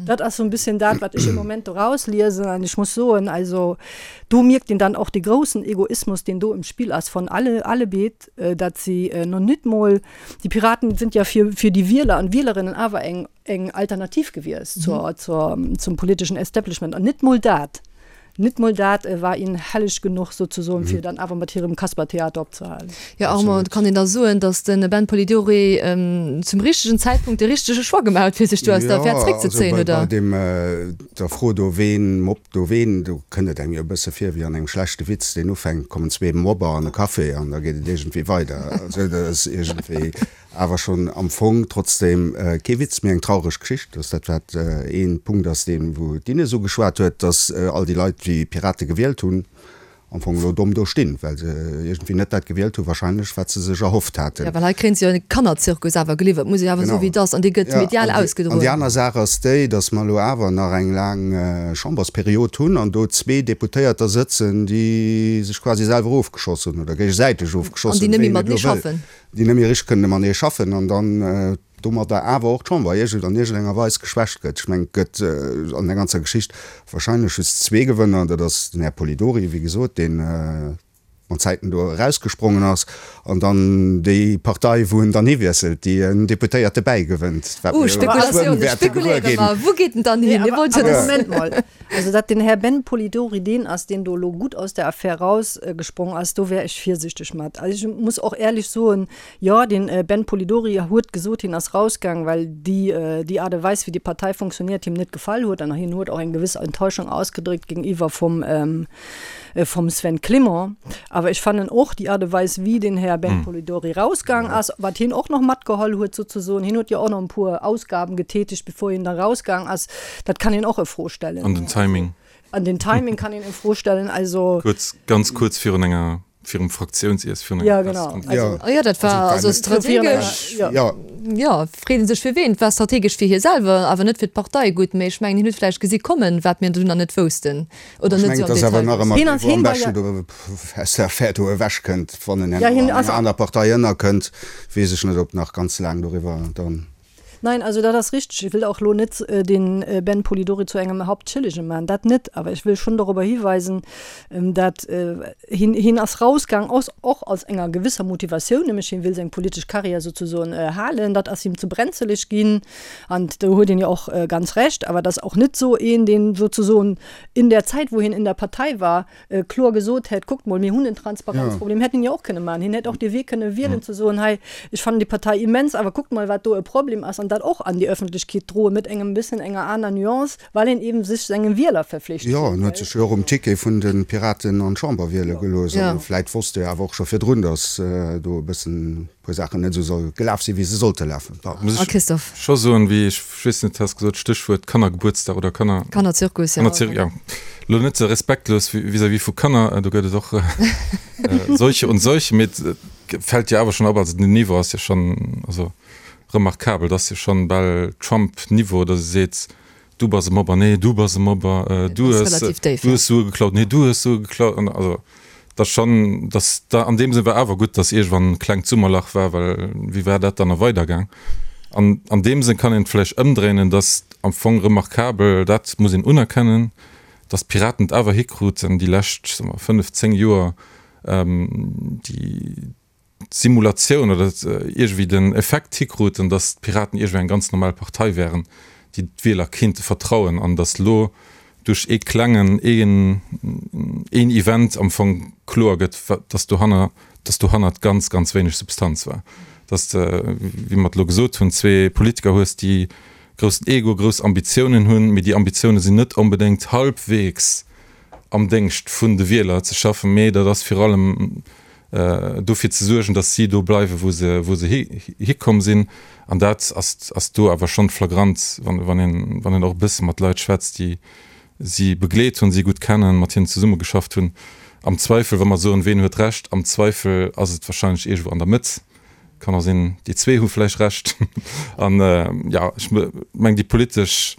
Dat ass sou en bisschen dat, wat ech im Moment do rausliesen an ech muss soen, also do mierkt een dann och de groussen Egoismus, deen do im Spill ass von alle allebeet, dat si no nit mol, die Piraten sind ja fir fir die Wieler an Wielerinnen awer eng eng Alternativ gewiescht zur, zur, zum politischen Establishment an nit mol dat, nit mol dat war ihnen helleg genuch sozesoen, fir dann awer mat hirem Kaspertheater opzehalen. Jo Armand, kann een da soen, datt de Ben Polidori zum richtegen Zäitpunkt de richtege Choix gemaach huet, fir sech do aus der Affär zréckzezéien, oder? Jo, also bei der Fro do, ween mobbt do ween, do kënnt et engem jo e bësse vir wéi an engem schlechte Witz, deen ufänkt, kommen zwee Mobber an e Café an da geet et iergendwéi weider. Also dat ass iergendwéi. Awer schonn am Fong trotzdem kee Witz, mee eng traureg Geschicht. Dass dat wat een Punkt ass, deen wou d'Ines ugeschwat huet, dass all déi Leit déi Pirate gewielt hunn, am Fong elo domm do stinn, well se iergendwéi net dat gewielt hu wahrscheinlech wat se sech erhofft haten. Jo, well hei kréien se jo e Kannerzirkus awer geliwwert, muss ee awer soen wéi et ass, an dee gëtt medial ausgedroen. An déi aner Saach ass déi, dass mer elo awer nach eng laang Chambersperiod hunn an do zwee Deputéierter sëtzen, déi sech quasi selwer ofgeschoss hunn oder géigesäiteg ofgeschoss hunn, wéi een et elo wëll. déi net méi richteg kënnen matenee schaffen an dann domadder awer och d'Chamber iergend an iergendenger Weis geschwächt gëtt. Ech mengen, et gëtt an der ganzer Geschicht wahrscheinlech just zwee Gewënner, dat ass den Här Polidori, wéi gesot, dee mat Zäiten do erausgesprongen ass, an dann déi Partei, wou en dann hiwiesselt, déi en Deputéierte bäigewënnt, wat mir elo geschwënn wäerte gewuer ginn. Wou geet en dann hin? Moment mol, also datt den Här Ben Polidori deen ass, deen do elo gutt aus der Affär rausgesprong ass, do wär ech virsichteg mat. Also ech muss och éierlech soen, jo, den Ben Polidori huet gesot, hien ass rausgaang, well déi déi Aart a Weis, wéi déi Partei funktioniert, him net gefall huet an hien huet och eng gewëss Enttäuschung ausgedréckt géintiwwer vum vum Sven Clement. Awer ech fannen och déi Aart a Weis, wéi den Här Ben Polidori rausgaang ass, wat hien och nach matgeholl huet souzesoen, hien huet jo och nach e puer Ausgaben getätigt, bevor hien da rausgaang ass, dat kann een och a Fro stellen. An den Timing. An den Timing kann een a Fro stellen. Also. Kuerz, ganz kuerz virun enger, virum Fraktionsiess, virun enger Ja, genau. Pressekonferenz. Also. Jo, dat war also strategesch. Jo. Jo, freet ee sech fir ween. Et war strategesch fir hie selwer, awer net fir d'Partei gutt. Mee ech mengen, hien huet vläicht gesi kommen, wat mir do nach net woussten oder net esou am Detail wossten. Hien ass, hien war ja. Aus der Affär do ewechkënnt, wann en herno an enger aner Partei ënnerkënnt, weess ech net, ob nach ganz laang doriwwer dann. Nein, also dat ass richteg. Ech wëll och elo net den Ben Polidori zu engem Hauptschëllege maachen, dat net. Awer ech wëll schonn dorobber hiweisen, dat hien, hien ass rausgaang aus, och aus enger gewësser Motivatioun, nämlech hien wëll seng politesch Karriär souzesoen halen. Dat ass him ze brenzeleg ginn an do huet een jo och ganz Recht. Awer et ass och net esou een, deen souzesoen in der Zeit, wou hien in der Partei war, kloer gesot hätt, kuckt mol, mir hunn en Transparenzproblem, hätt en jo och kënne maachen. Hien hätt och dee Wee kënne wielen ze soen, hei, ech fannen déi Partei immens, awer kuckt mol, wat do e Problem ass, an dat och an déi Öffentlechkeet droen, met engem bëssen enger aner Nuance, well een eeben sech sengem Wieler verflicht Jo, en huet sech jo och um Ticket vun de Piraten an d'Chamber wiele gelooss. A vläit wosst e awer och scho virdrun, datt do e bëssen e puer Saachen net esou soll gelaf sinn, wéi se sollte lafen. Muss ech scho soen, wéi ech weess net, has gesot, Stéchwuert Kannergebuertsdag oder Kanner. Kannerzirkus, jo. Kannerzirkus, jo. Elo net esou respektlos vis-à-vis vu Kanner, do gëtt et och solche und solche, mee et fält jo awer schonn op, also den Niveau ass jo schonn, also remarkabel, et ass jo schonn bal Trump-Niveau, datt e seet, du bass e Mobber, nee, du bass e Mobber, du hues, du hues Sue geklaut, nee, du hues Sue geklaut, an also dat ass schonn, dass da an deem Sënn war awer gutt, dass iergendwann e klengt Summerlach war, well wéi war dat dann nach weidergaang? An an deem Sënn kann een et vläicht ëmdréinen, dass am Fong remarkabel, dat muss een unerkennen, dass d'Piraten et awer hikruten, déi lescht, soe mer, fënnf, zéng Joer déi d'Simulatioun oder iergendwéi den Effekt hikruten, dass d'Piraten iergendwéi eng ganz normal Partei wären, déi d'Wieler kéinte vertrauen, an dass elo duerch ee klengen, een, een Event am Fong kloer gëtt, dass dohanner, dass dohannert ganz, ganz wéineg Substanz war. Dass de, wéi mer et elo gesot hunn, zwee Politiker hues, déi groussen Ego, grouss Ambitiounen hunn, mee déi Ambitioune sinn net onbedéngt halbwegs am Déngscht vun de Wieler ze schaffen, mee dat ass virun allem dofir ze suergen, datt si do bleiwen, wou se, wou se hikomm sinn. An dat ass, ass do awer schonn flagrant, wann, wann een, wann een och e bësse mat Leit schwätzt, déi si begleet hunn, si gutt kennen, mat hinnen zesummegeschafft hunn. Am Zweifel, wa mer soen, ween huet Recht, am Zweifel ass et wahrscheinlech iergendwou an der Mëtt. Kann och sinn, déi zwee hu vläicht Recht. An, jo, ech mengen, déi politesch.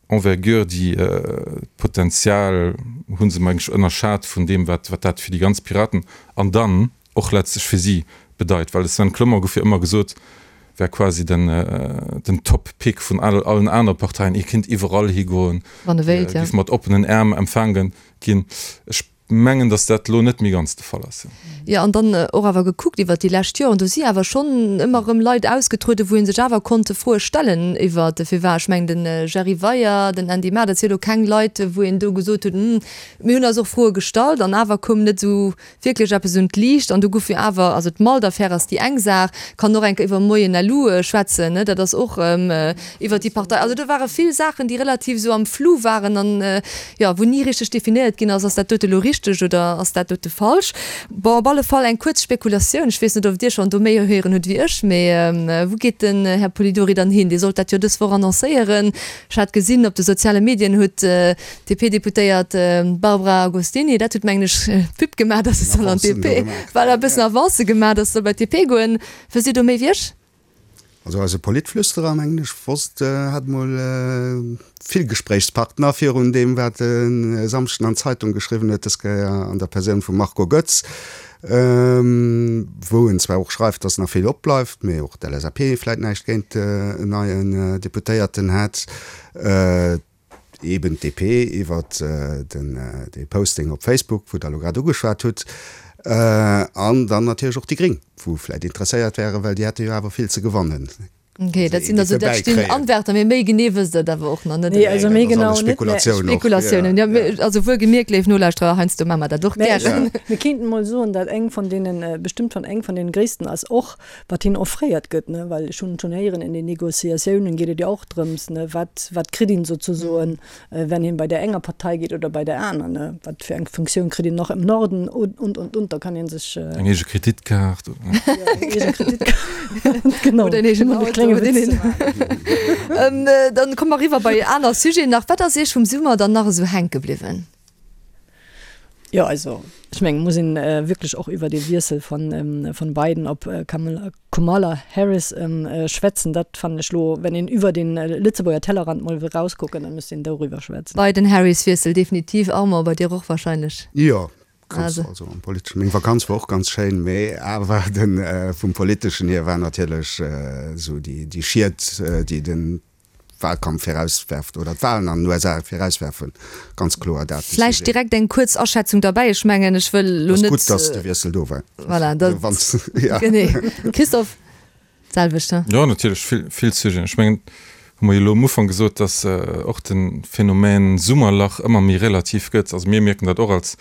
Envergure, déi d'Potenzial hu se meng ech ënnerschat vun deem, wat dat fir déi ganz Piraten an dann och letztlech fir si bedeit. Well de Sven Clement gouf jo ëmmer gesot, wär quasi den den Top-Pick vun allen anere Parteien, hie kinnt iwwerall higoen, géif mat oppenen Äerm empfaange ginn. Ech mengen, datt dat elo net méi ganz de Fall ass. Jo, an dann och awer gekuckt iwwert déi lescht Joren, do si awer schonn ëmmer erëm Leit ausgetrueden, wou ee sech awer konnte Froe stellen iwwert de Firwat. Ech mengen, de Jerry Weyer, den Andy Maar, dat si elo keng Leit, wou een do gesot huet, Hm, mir hunn eis och Froe gestallt an awer koum net esou wierklech eppes un d'Liicht. An do gouf jo awer, also d'Malt-Affär ass déi eng Saach, kann och eng Kéier iwwer Moyen LU schwätzen, ne, dat ass och iwwer déi Partei. Also do ware vill Saachen, déi relativ esou am Flou waren an, jo, wou ni richteg definéiert ginn ass, ass dat dote elo richteg oder ass dat dote falsch. Bon, op alle Fall eng kuerz Spekulatioun, ech weess net, ob Dir schonn do méi héieren hutt wéi ech, mee wou geet den Här Polidori dann hin? Dee sollt dat jo dës Woch annoncéieren. Ech hat gesinn, op de soziale Medien huet d'DP-Deputéiert Barbara Agostini, dat huet mengen ech Pub gemaach, datt se soll an d'DP, voilà, e bëssen Avancë gemaach, datt se soll bei d'DP goen. Wësst Dir do méi wéi ech? Also eise Politflüsterer, mengen ech, wosst, hat mol vill Gespréichspartner virun deem, wat en e Samschden an d'Zeitung geschriwwen huet, dës Kéier an der Persoun vum Marco Goetz, wou en zwar och schreift, datt nach vill opbleift, mee och d'LSAP vläit näischt géint en neien Deputéierten hätt. Eben d'DP iwwer den dee Posting op Facebook, wou Der elo grad ugeschwat hutt, an dann natierlech och déi Gréng, wou vläit interesséiert wären, well déi hätte jo awer vill ze gewannen. Okay, dat sinn also, dat stinn Anwärter, mee méi genee wësst Der et awer och nach net. Nee, also méi genau net. Spekulatiounen och. Spekulatiounen, jo. Also wuel gemierkt, léif Nolauschterer, heiansdo maache mer dat och gären. Mir kéinten emol soen, dat eng vun deenen, bestëmmt vun eng vun deenen gréissten ass och, wat hinnen offréiert gëtt, ne, well ech hunn schonn héieren, in den Négociatiounen geet et jo och drëms, ne, wat, wat kritt een sozesoen, wenn een bei där enger Partei geet oder bei där aner, ne, wat fir eng Funktioun kritt een nach im Norden und, und, und, und, da kann ee sech. Eng eege Kreditkaart oder. Jo, eng eege Kreditkaart, genau. Oder en eegen Auto. Klenge Witz ze maachen. Dann komme mer eriwwer bei aner Sujeten nach. Wat ass Iech vum Summer dann nach esou hänke bliwwen? Jo, also ech mengen, muss een wierklech och iwwer dee Wiessel von von Biden op Kamala Harris schwätzen. Dat fannen ech lo, wenn een iwwer den Lëtzebuerger Tellerrand mol wëll rauskucken, dann müsst een doriwwer schwätzen. Biden-Harris-Wiessel, definitiv. Armand, bei dir och wahrscheinlech? Jo, ganz, also am politeschen. Meng Vakanz war och ganz schéin, mee awer den vum politeschen hier war natierlech esou déi déi Schied, déi den Wahlkampf virauswerft oder d'Wahlen an den USA virauswerfen, ganz kloer dat. Vläicht direkt eng kuerz Aschätzung derbäi. Ech mengen, ech wëll elo net. Et ass gutt, datt de Wiessel do war. Voilà, dat. Ja. Genee. Christophe, d'selwecht, he? Jo, natierlech, vill, vill Sujeten. Ech mengen, hu mer jo elo am Ufank gesot, datt och de Phänomen Summerlach ëmmer méi relativ gëtt. Also mir mierken dat och als,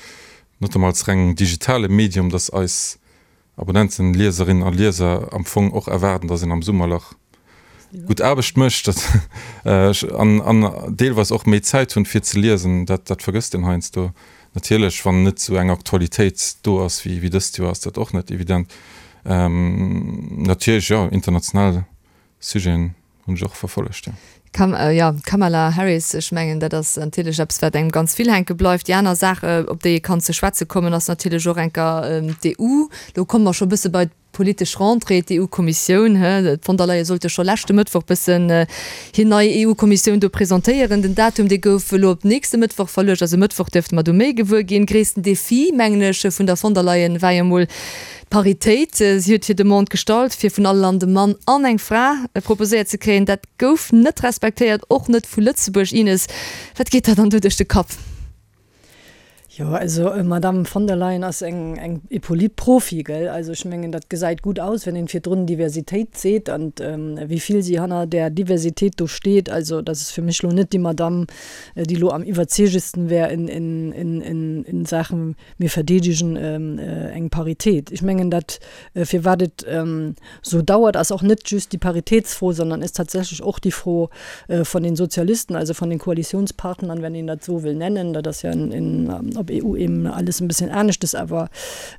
notamment als reng digitale Medium, datt eis Abonnenten, Lieserinnen a Lieser am Fong och erwaarden, dass een am Summerlach gutt Aarbecht mécht an an deelweis och méi Zäit hunn fir ze liesen. Dat dat vergësst een heiansdo natierlech, wann net esou eng Aktualitéit do ass wéi wéi dëst Joer, ass dat och net evident. Natierlech jo, international Sujeten hunn ech och verfollegt, jo. Kam, jo, Kamala Harris, ech mengen, dat ass natierlech eppes, wat engem ganz vill hänke bleift. Déi aner Saach, op déi ee kann ze schwätze kommen, ass natierlech och enker d'EU. Do komme mer scho e bësse bei d'politesch Rentrée, d'EU-Kommissioun, hë. D'von der Leyen sollt jo scho leschte Mëttwoch bëssen hir nei EU-Kommissioun do presentéieren. Den Datum, dee gouf elo op nächste Mëttwoch verluecht. Also e Mëttwoch dierfte mer do méi gewuer ginn. Gréissten Defi, mengen ech, vun der von der Leyen war jo emol D'Paritéit, si huet hir Demande gestallt, fir vun all Land e Mann an eng Fra proposéiert ze kréien. Dat gouf net respektéiert, och net vu Lëtzebuerg. Ines, wat geet der dann do duerch de Kapp? Jo, also d'Madame von der Leyen ass eng, eng, e Politprofi, gell? Also ech mengen, dat gesäit gutt aus, wenn een virdrun Diversitéit seet an wéi vill si hanner där Diversitéit do steet. Also dat ass fir mech elo net déi Madame, déi elo am iwwerzeegesten wär in, in, in, in, in Saachen Mir verdeedegen eng Paritéit. Ech mengen, dat, firwat et esou dauert, ass och net just déi Paritéitsfro, sondern ist tatsächlich och déi Fro von den Sozialisten, also von den Koalitionspartnern, wenn een dat esou wëll nennen. Dat ass jo op EU-Ebene alles en bisschen aneschtes, awer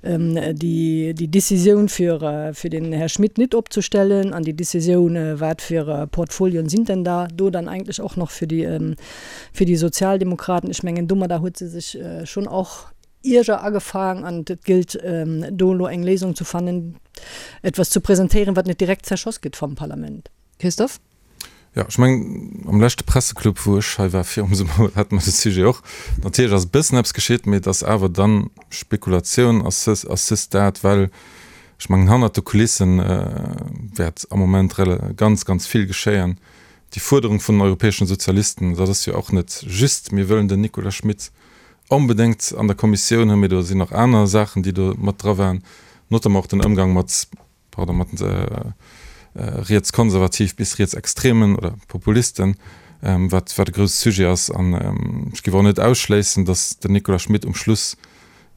déi Décisioun, fir fir den Här Schmit nit opzestellen, an déi Décisioun, wat fir Portfolien sind denn da do dann eigentlich och nach fir déi Fir déi Sozialdemokraten, ech mengen, domadder huet se sech schonn och Ierger agefaang an et gëllt do elo eng Léisung zu fannen, etwas zu presentéieren, wat net direkt zerschoss gëtt vam Parlament. Christophe? Jo, ech mengen, am leschte Presseclub, wou ech hei war virum Summer, hate mer de Sujet och. Natierlech ass e bëssen eppes geschitt, mee et ass awer dann Spekulatioun à ce, à ce stade, well ech mengen, hannert de Kulissen wäert am Moment ganz, ganz vill geschéien. Déi Fuerderung vun den europäeschen Sozialisten, dat ass jo och net just, mir wëllen den Nicolas Schmit onbedéngt an der Kommissioun hunn, mee do sinn nach aner Saachen, déi do mat dra waren, notamment och den Ëmgang mat, pardon, mat rietskonservativ bis rietsextremen oder Populisten, wat wat e grousse Sujet ass. An ech géif och net ausschléissen, datt den Nicolas Schmit um Schluss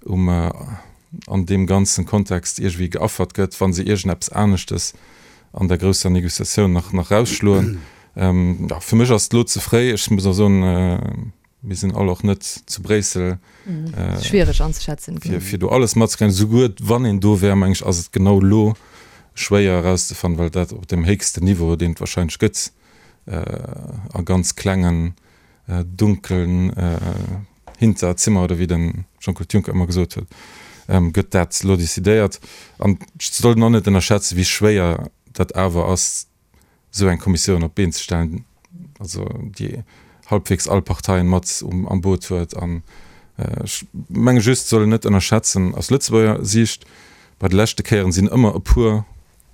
um an deem ganzen Kontext iergendwéi geaffert gëtt, wa se iergendeppes aneschtes an der grousser Négociatioun nach nach rausschloen. Jo, fir mech ass et elo ze fréi. Ech muss och soen, mir sinn all och net zu Bréissel, Schwiereg anzeschätzen, fir fir do alles matzekréien. Souguer wann een do wär, meng ech, ass et genau elo schwéier erauszefannen, well dat op deem héchsten Niveau, deen et wahrscheinlech gëtt, a ganz klengen dunkelen Hinterzimmer, oder wéi de Jean-Claude Juncker ëmmer gesot huet, gëtt dat elo decidéiert. An et sollt een och net ënnerschätzen, wéi schwéier dat awer ass, esou eng Kommissioun op d'Been ze stellen, also déi halbwegs all Parteien mat am Boot huet. An ech menge just, et soll een net ënnerschätzen, aus Lëtzebuerger Siicht, bei de leschte Kéieren sinn ëmmer e puer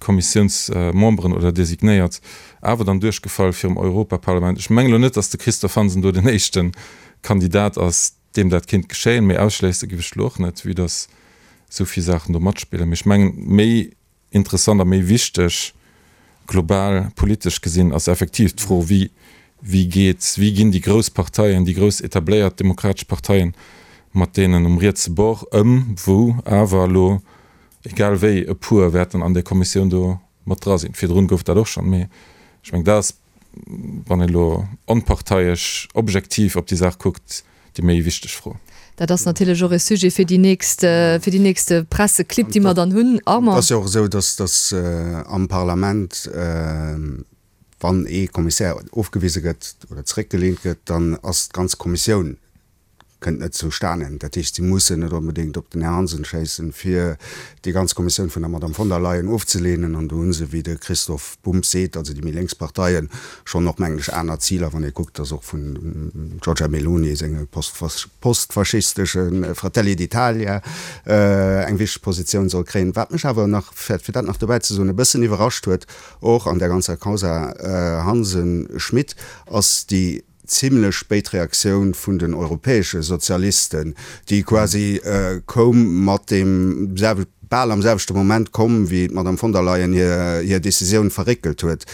Kommissiounsmemberen oder designéiert, awer dann duerchgefall virum Europaparlament. Ech mengen elo net, datt de Christophe Hansen do den éischte Kandidat ass, deem dat kéint geschéien, mee ausschléisse géif ech elo och net, vue datt esou vill Saachen do matspillen. Mee ech mengen, méi interessant a méi wichteg global politesch gesinn ass effektiv d'Fro, wéi wéi geet, wéi ginn déi grouss Parteien, déi grouss etabléiert demokratesch Parteien mat deenen um rietse Bord ëm, wou awer elo egal wéi e puer wäerten an där Kommissioun do mat dra sinn. Virdrun gouf dat och schonn, mee ech mengen, dat ass, wann een elo onparteiesch, objektiv op déi Saach kuckt, déi méi wichteg Fro. Dat ass natierlech och e Sujet fir déi nächst, fir déi nächste Presseclibb, déi mer dann hunn. Armand. Et ass jo och esou, dass, dass am Parlament, wann ee Kommissär ofgewise gëtt oder zeréckgeleent gëtt, dann ass d'ganz Kommissioun kënnt net zustanen. Dat heescht, si mussen net onbedéngt op den Här Hansen schéissen, fir déi ganz Kommissioun vun der Madame von der Leyen ofzeleenen. An do hu se, wéi de Christoph Bumb seet, also déi méi lénks Parteien, schonn och, mengen ech, aner Ziler, wann ee kuckt, datt och vun Giorgia Meloni senge postfaschistesche Fratelli d'Italia eng wichteg Positioun soll kréien. Wat mech awer nach, fir dat nach dobäi ze soen, e bëssen iwwerrascht huet, och an där ganzer Causa Hansen-Schmit, ass déi zimlech spéit Reaktioun vun den europäesche Sozialisten, déi quasi koum mat deem bal am selwechte Moment komm, wéi d'Madame von der Leyen hir Decisioun verréckelt huet.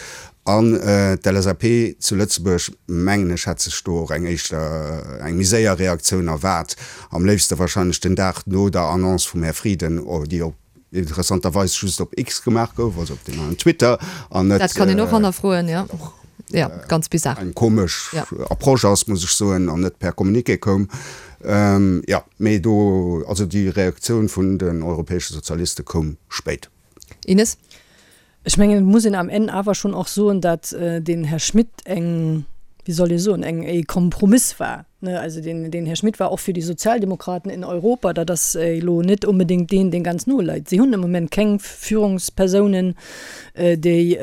An d'LSAP zu Lëtzebuerg, mengen ech, hätt sech do och eng éischter, eng méi séier Reaktioun erwaart, am léifste wahrscheinlech den Dag no der Annonce vum Här Frieden, déi op interessanterweis just op X gemaach gouf, also op dem neien Twitter, an net. Dat kann een och hannerfroen, jo. Jo, ganz bizar. Eng komesch Approche ass, muss ech soen, an net per Communiqué koum. Jo, mee do, also déi Reaktioun vun den europäesche Sozialiste koum spéit. Ines? Ech mengen, et muss een am Enn awer schonn och soen, datt den Här Schmit eng, wéi soll ee soen, eng e Kompromiss war. Also den, den Här Schmit war och fir déi Sozialdemokraten in Europa, dat ass elo net onbedéngt deen, deen ganz no leit. Si hunn am Moment keng Führungspersounen, déi,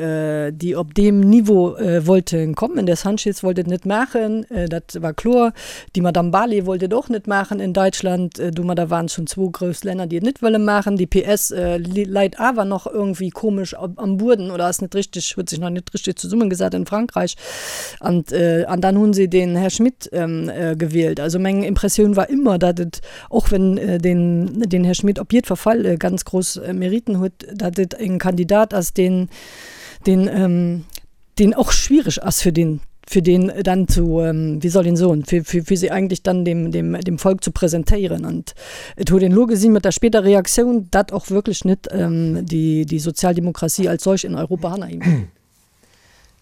déi op deem Niveau wollte kommen. De Sanchez wollt et net maachen, dat war kloer. Déi Madame Barley wollt et och net maachen in Deutschland. Domadder waren et schonn zwou grouss Länner, déi et net wëlle maachen. Déi PS leit awer nach irgendwie komesch am Bueden oder ass net richtig, huet sech nach net richtig zesummengesat in Frankreich. An, an dann hu se den Här Schmit gewielt. Also meng Impressioun war ëmmer, datt et, och wenn den, den Här Schmit op jiddwer Fall ganz grouss Meriten huet, datt et en Kandidat ass, deen, deen, deen och schwierig ass fir den, fir deen dann zu, wéi soll een soen, fir, fir, fir se eigentlech dann dem, dem, dem Volk zu presentéieren. An et huet een elo gesinn mat der später Reaktioun, datt och wierklech net déi, déi Sozialdemokratie als solch in Europa hanner him steet.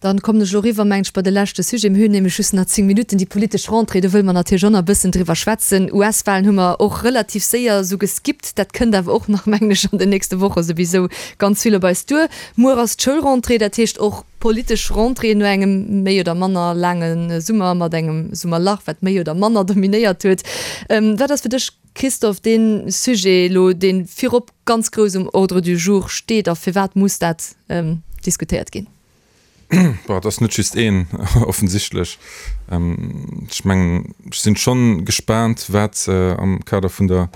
Dann kommen ech elo eriwwer, mengen ech, bei de leschte Sujet. Mir hunn nämlech just nach 10 Minutten, déi politesch Rentrée, do wëlle mer natierlech och nach e bëssen driwwer schwätzen. US-Wahlen hu mer och relativ séier esou geskippt. Dat kënnt awer och nach, mengen ech, an den nächste Woche souwisou ganz vill op eis duer. Muer ass d'Schoulrentrée, dat heescht och politesch Rentrée no engem méi oder manner laange Summer mat engem Summerlach, wat méi oder manner dominéiert huet. Wat ass fir dech, Christophe, dee Sujet elo, dee virop ganz grouss um Ordre du jour steet a firwat muss dat diskutéiert ginn? Bon, et ass net just een, offensichtlech. Ech mengen, ech sinn schonn gespaant, wat am Kader vun der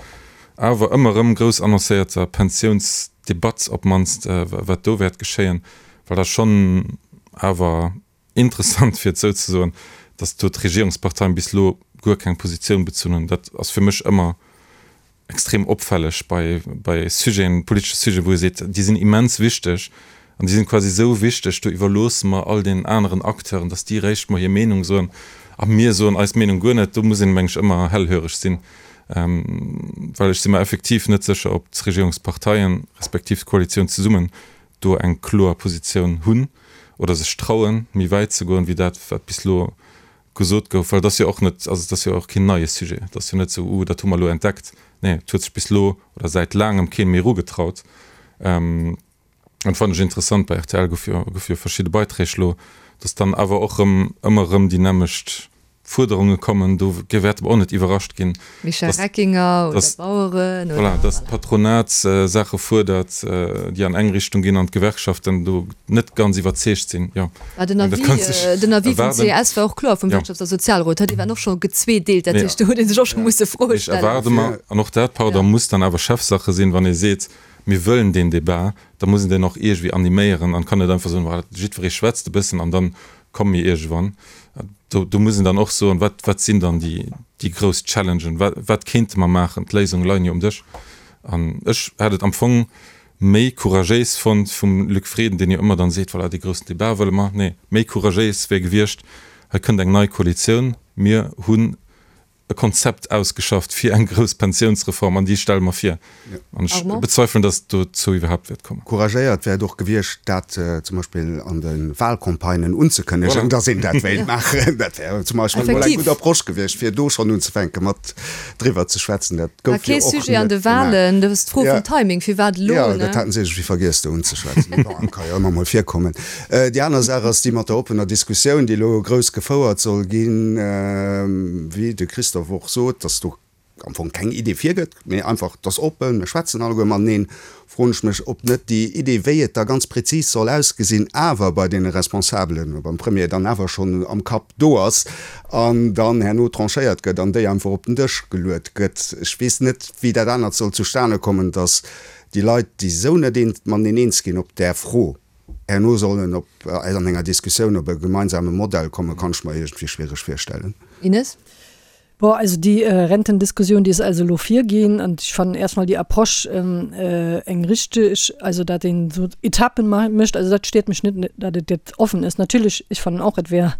awer ëmmer erëm grouss annoncéierter Pensiounsdebatt op d'mannst, wat do wäert geschéien, well dat schonn awer interessant, fir et esou ze soen, datt do d'Regierungsparteien bis elo guer keng Positioun bezunn hunn. Dat ass fir mech ëmmer extrem opfälleg bei, bei Sujeten, politesche Sujeten, wou ee seet, déi sinn immens wichteg an déi sinn quasi esou wichteg, do iwwerloosse mer all deenen aneren Acteuren, datt déi eréischt mol hir Meenung soen a mir soen eis Meenung guer net. Do muss een, meng ech, ëmmer hellhöreg sinn, well ech si mer effektiv net sécher, ob d'Regierungsparteien respektiv d'Koalitioun zesummen do eng kloer Positioun hunn oder sech trauen, méi wäit ze goen, wéi dat, wat bis elo gesot gouf. Well et ass jo och net, also et ass jo och keen neie Sujet. Et ass jo net esou, Uh, dat hu mer elo entdeckt. Nee, et huet sech bis elo oder säit laangem kee méi erugetraut. An fannen ech interessant, bei rtl gouf jo, goufe jo verschidde Beiträg elo, datt dann awer och erëm ëmmer erëm déi nämmlecht Fuerderunge kommen, do wäerte mer och net iwwerrascht ginn, Michel Reckinger oder Baueren oder. Voilà, datt d'Patronat Saache fuerdert, déi an eng Richtung ginn an d'Gewerkschaften do net ganz iwwerzeegt sinn. Jo, den Avis vum ces war och kloer, vum Wirtschafts a Sozialrot, dee war och scho gezweedeelt, dat heescht do huet ee sech och scho musse Froe stellen. Ech erwaarde mer, an och dat, pardon, muss dann awer Chefsache sinn, wann ee seet, mir wëllen deen Débat, da muss een deen och iergendwéi animéieren an kann net einfach soen, voilà, jiddweree schwätzt e bëssen an dann komme mir iergendwann. Do, do muss een dann och soen, wat, wat sinn dann déi, déi grouss Challengen, wat, wat kéinte mer maachen? D'Léisunge leien jo um Dësch. An ech hätt et am Fong méi couragéis fonnt vum Luc Frieden, deen jo ëmmer dann seet, voilà, dee groussen Débat wëlle mer. Nee, méi couragéis wär gewiescht, hei kënnt eng nei Koalitioun, mir hunn e Konzept ausgeschafft fir eng grouss Pensiounsreform an déi stelle mer vir. An ech bezweifelen, datt et dozou iwwerhaapt wäert kommen. Couragéiert wär et och gewiescht, dat zum Beispill an de Wahlcampagnen unzekënnegen, datt een dat wéilt maachen. Dat wär zum Beispill emol eng gutt Approche gewiescht, fir do schonn unzefänke mat driwwer ze schwätzen. Dat gouf jo och net gemaach. War kee Sujet an de Wahlen. Dat ass d'Fro vum Timing. Firwat elo? Jo, dat haten se iergendwéi vergiess do unzeschwätzen. Mee bon, ka jo ëmmer mol virkommen. Déi aner Saach ass déi mat der oppener Diskussioun, déi elo grouss gefouert soll ginn, wéi de Christophe och sot, dass do am Fong keng Idee virgëtt, mee einfach, et ass oppen, mir schwätzen alleguer mateneen, froen ech mech, ob net déi Idee, wéi et da ganz prezis soll ausgesinn, awer bei deene Responsabelen, beim Premier dann awer schonn am Kapp do ass an dann herno tranchéiert gëtt an déi einfach op den Dësch geluet gëtt. Ech weess net, wéi dat anert soll zustane kommen, dass déi Leit, déi esou net mateneen eens ginn op där Fro, herno sollen op an enger Diskussioun op e gemeinsame Modell kommen, kann ech mer iergendwéi schwiereg virstellen. Ines? Bon, also déi Rentendiskussioun, déi ass also elo virginn an ech fannen erstmol déi Approche eng richteg, also dat een esou Etappen mécht, also dat steet mech net, dat et jetzt offen ist. Natierlech, ech fannen och, et wär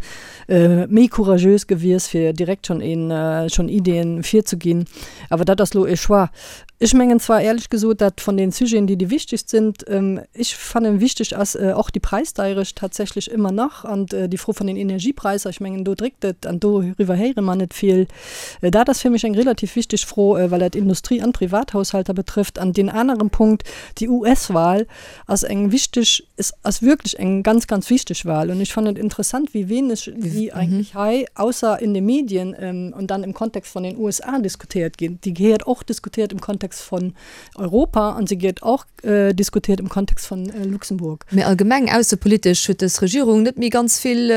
méi couragös gewies fir direkt schonn een, schonn Ideeën virzeginn, awer dat ass elo e Choix. Ech mengen zwar éierlech gesot, dat von den Sujeten, déi déi wichtegst sind, ech fannen wichteg ass och déi Präisdeierecht tatsächlich immer nach an déi Fro von den Energiepreiser. Ech mengen do dréckt et an doriwwer héiere mer net vill. Dat ass fir mech eng relativ wichteg Fro, well dat Industrie an Privathaushalter betrëfft. An deen aneren Punkt, déi US-Wahl ass eng wichteg, es ass wierklech eng ganz, ganz wichteg Wahl. Und ech fannen et interessant, wéi wenig déi eigentlech hei, ausser in de Medien und dann im Kontext von den USA diskutiert ginn. Déi gehéiert och diskutiert im Kontext von Europa an se gehéiert och diskutiert im Kontext von Luxemburg. Mee allgemeng aussepolitesch huet dës Regierung net méi ganz vill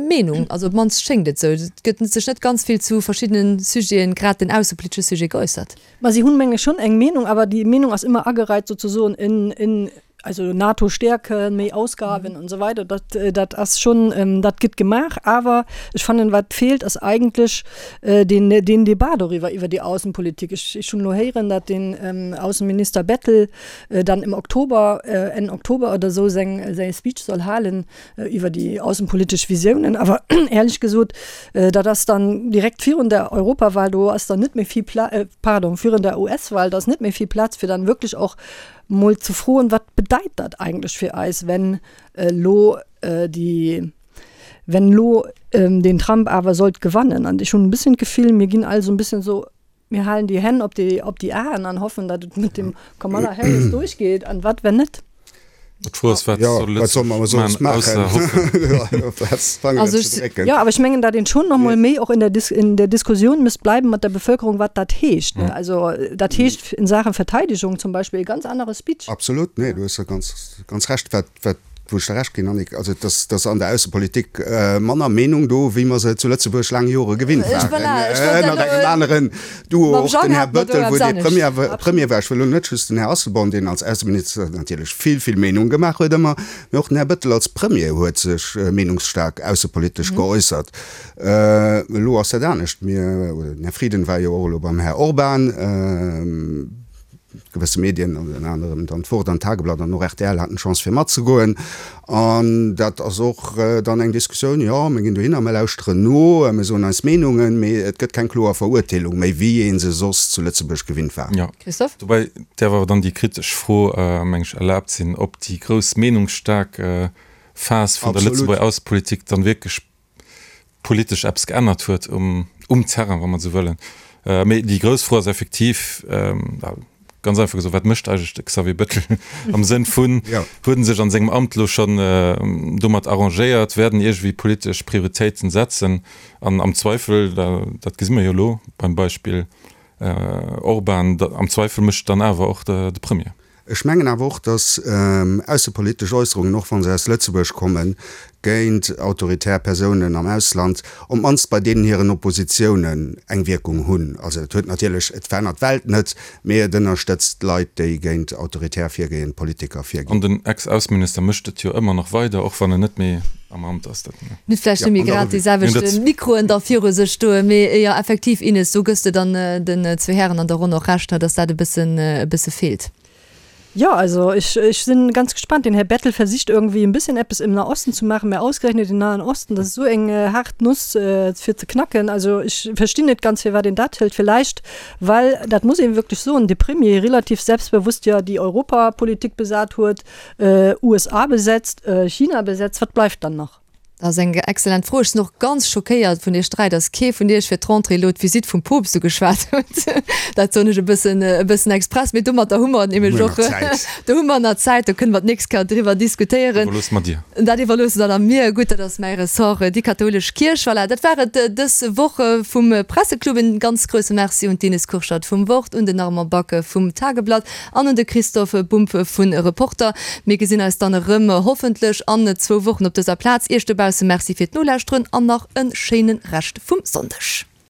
Meenung, also op d'mannst schéngt et esou. Et gëtt sech net ganz vill zu verschiddene Sujeten, grad den aussepolitesche Sujet, geäussert. Ma si hunn, meng ech, schonn eng Meenung, awer déi Meenung ass ëmmer agereit sozesoen in, in, also NATO stäerken, méi Ausgaben und so weiter. Dat, dat ass schonn, dat gëtt gemaach. Awer ech fannen, wat feelt, ass eigentlech deen, deen Debat doriwwer, iwwer déi Aussenpolitik. Ech, ech hunn elo héieren, datt den Aussenminister Bettel dann im Oktober, Enn Oktober oder esou seng, säi Speech soll halen iwwer déi aussenpolitesch Visiounen. Awer éierlech gesot, dat ass dann direkt virun der Europawahl, do ass dann net méi vill Pla-, pardon, virun der US-Wahl, da ass net méi vill Plaz, fir dann wierklech och mol ze froen, wat bedeit dat eigentlech fir eis, wenn elo déi, wenn elo den Trump awer sollt gewannen. An ech hunn e bësschen d'Gefill, mir ginn all esou e bësschen esou, Mir halen déi Hänn op déi, op déi Aen an hoffen, datt et mat dem Kamala Harris duerchgeet. An wat, wenn net? D'Fro ass, wat soll Lëtzebuerg maachen, ausser hoffen? Also ech, jo, awer ech mengen, datt een schonn nach mol méi och in der Dis-, in der Diskussioun misst bleiben mat der Bevölkerung, wat dat heescht, ne? Also dat heescht in Sachen Verteidigung zum Beispill e ganz anere Speech. Absolut, nee, du hues da ganz, ganz Recht. Wat, wat. wou ech der Recht ginn, Annick, also dass, dass an der Aussepolitik manner Meenung do, wéi mer se zu Lëtzebuerg laang Jore gewinnt waren. Voilà, ech wollt Ënnert engem aneren Duo, och den Här Bettel, wou dee Premier, Premier war. Ech wëll elo net just den Här Asselborn, deen als Ausseminister natierlech vill, vill Meenung gemaach huet ëmmer, mee och den Här Bettel als Premier huet sech meenungsstaark aussepolitesch geäussert. Elo ass dat anescht. Mir, oder den Här Frieden war jo och elo beim Här Orban. Gewësse Medien, ënner anerem dann d'Wort an d'Tageblatt an och rtl haten d'Chance fir matzegoen. An dat ass och dann eng Diskussioun, jo, mir ginn dohinner, mir lauschteren no, mir soen eis Meenungen, mee et gëtt keng kloer Verurteelung méi, wéi ee se soss zu Lëtzebuerg gewinnt war. Jo. Christophe? Dobäi däerf awer dann déi kritesch Fro, meng ech, erlaabt sinn, ob déi grouss meenungsstaark Phas vun der Lëtzebuerger Aussepolitik dann wierklech politesch eppes geännert huet um, um Terrain, wa mer esou wëllen. Mee déi grouss Fro ass effektiv, ganz einfach gesot, Wat mécht eigentlech de Xavier Bettel am Sënn vun, huet en sech an sengem Amt elo schonn domat arrangéiert, wäert en iergendwéi politesch Prioritéiten setzen? An am Zweifel, dat gesi mer jo elo beim Beispill Orban, am Zweifel mécht dann awer och de Premier. Ech mengen awer och, datt aussepolitesch Äusserungen, och wa se aus Lëtzebuerg kommen, géint autoritär Persounen am Ausland, op d'mannst bei deenen hiren Oppositiounen eng Wierkung hunn. Also et huet natierlech, et verännert d'Welt net, mee et ënnerstëtzt Leit, déi géint autoritär virgehend Politiker virginn. An den Ex-Ausseminister mécht et jo ëmmer nach weider, och wann en net méi am Amt ass. Dat. Net vläicht net méi grad déi selwecht Mikroen da viru sech stoen, mee jo effektiv, Ines, do gëss de dann den zwee Hären an der Ronn och Recht, datt dat e bëssen, e bësse feelt. Ja, also ich, ich sinn ganz gespannt. Den Här Bettel versicht irgendwie en bisschen eppes im Nahosten zu machen, mä ausgerechnet den Nahen Osten, dat ass esou eng haart Nuss fir ze knacken. Also ech verstinn net ganz, firwat een dat hëlt. Villäicht well, dat muss ee wierklech soen, de Premier relativ selbstbewusst jo déi Europapolitik besat huet, USA besetzt, China besetzt. Wat bleift dann nach? Dat ass eng excellent Fro. Ech sinn och ganz schockéiert vun Iech 3, datt kee vun Iech fir d'Rentrée elo d'Visitt vum Poopst ugeschwat huet. Dat soen ech e bëssen, e bëssen express, mee domatter hu mer nämlech och, do hu mer nach Zäit, do kënne mer d'nächst Kéier driwwer diskutéieren. Iwwerloosse mer dir. Dat iwwerloosse der dann mir. Gutt, dat ass mäi Ressort, déi kathoulesch Kierch. Voilà, dat war et dës Woch vum Presseclub. En ganz grousse Merci un d'Ines Kurschat vum Wort, un den Armand Back vum Tageblatt An un de Christophe Bumb vu Reporter. Mir gesinn eis dann erëm hoffentlech an zwou Wochen op dëser Plaz. Iech dobausse Merci fir d'Nolauschteren an nach e schéine Rescht vum Sonndeg.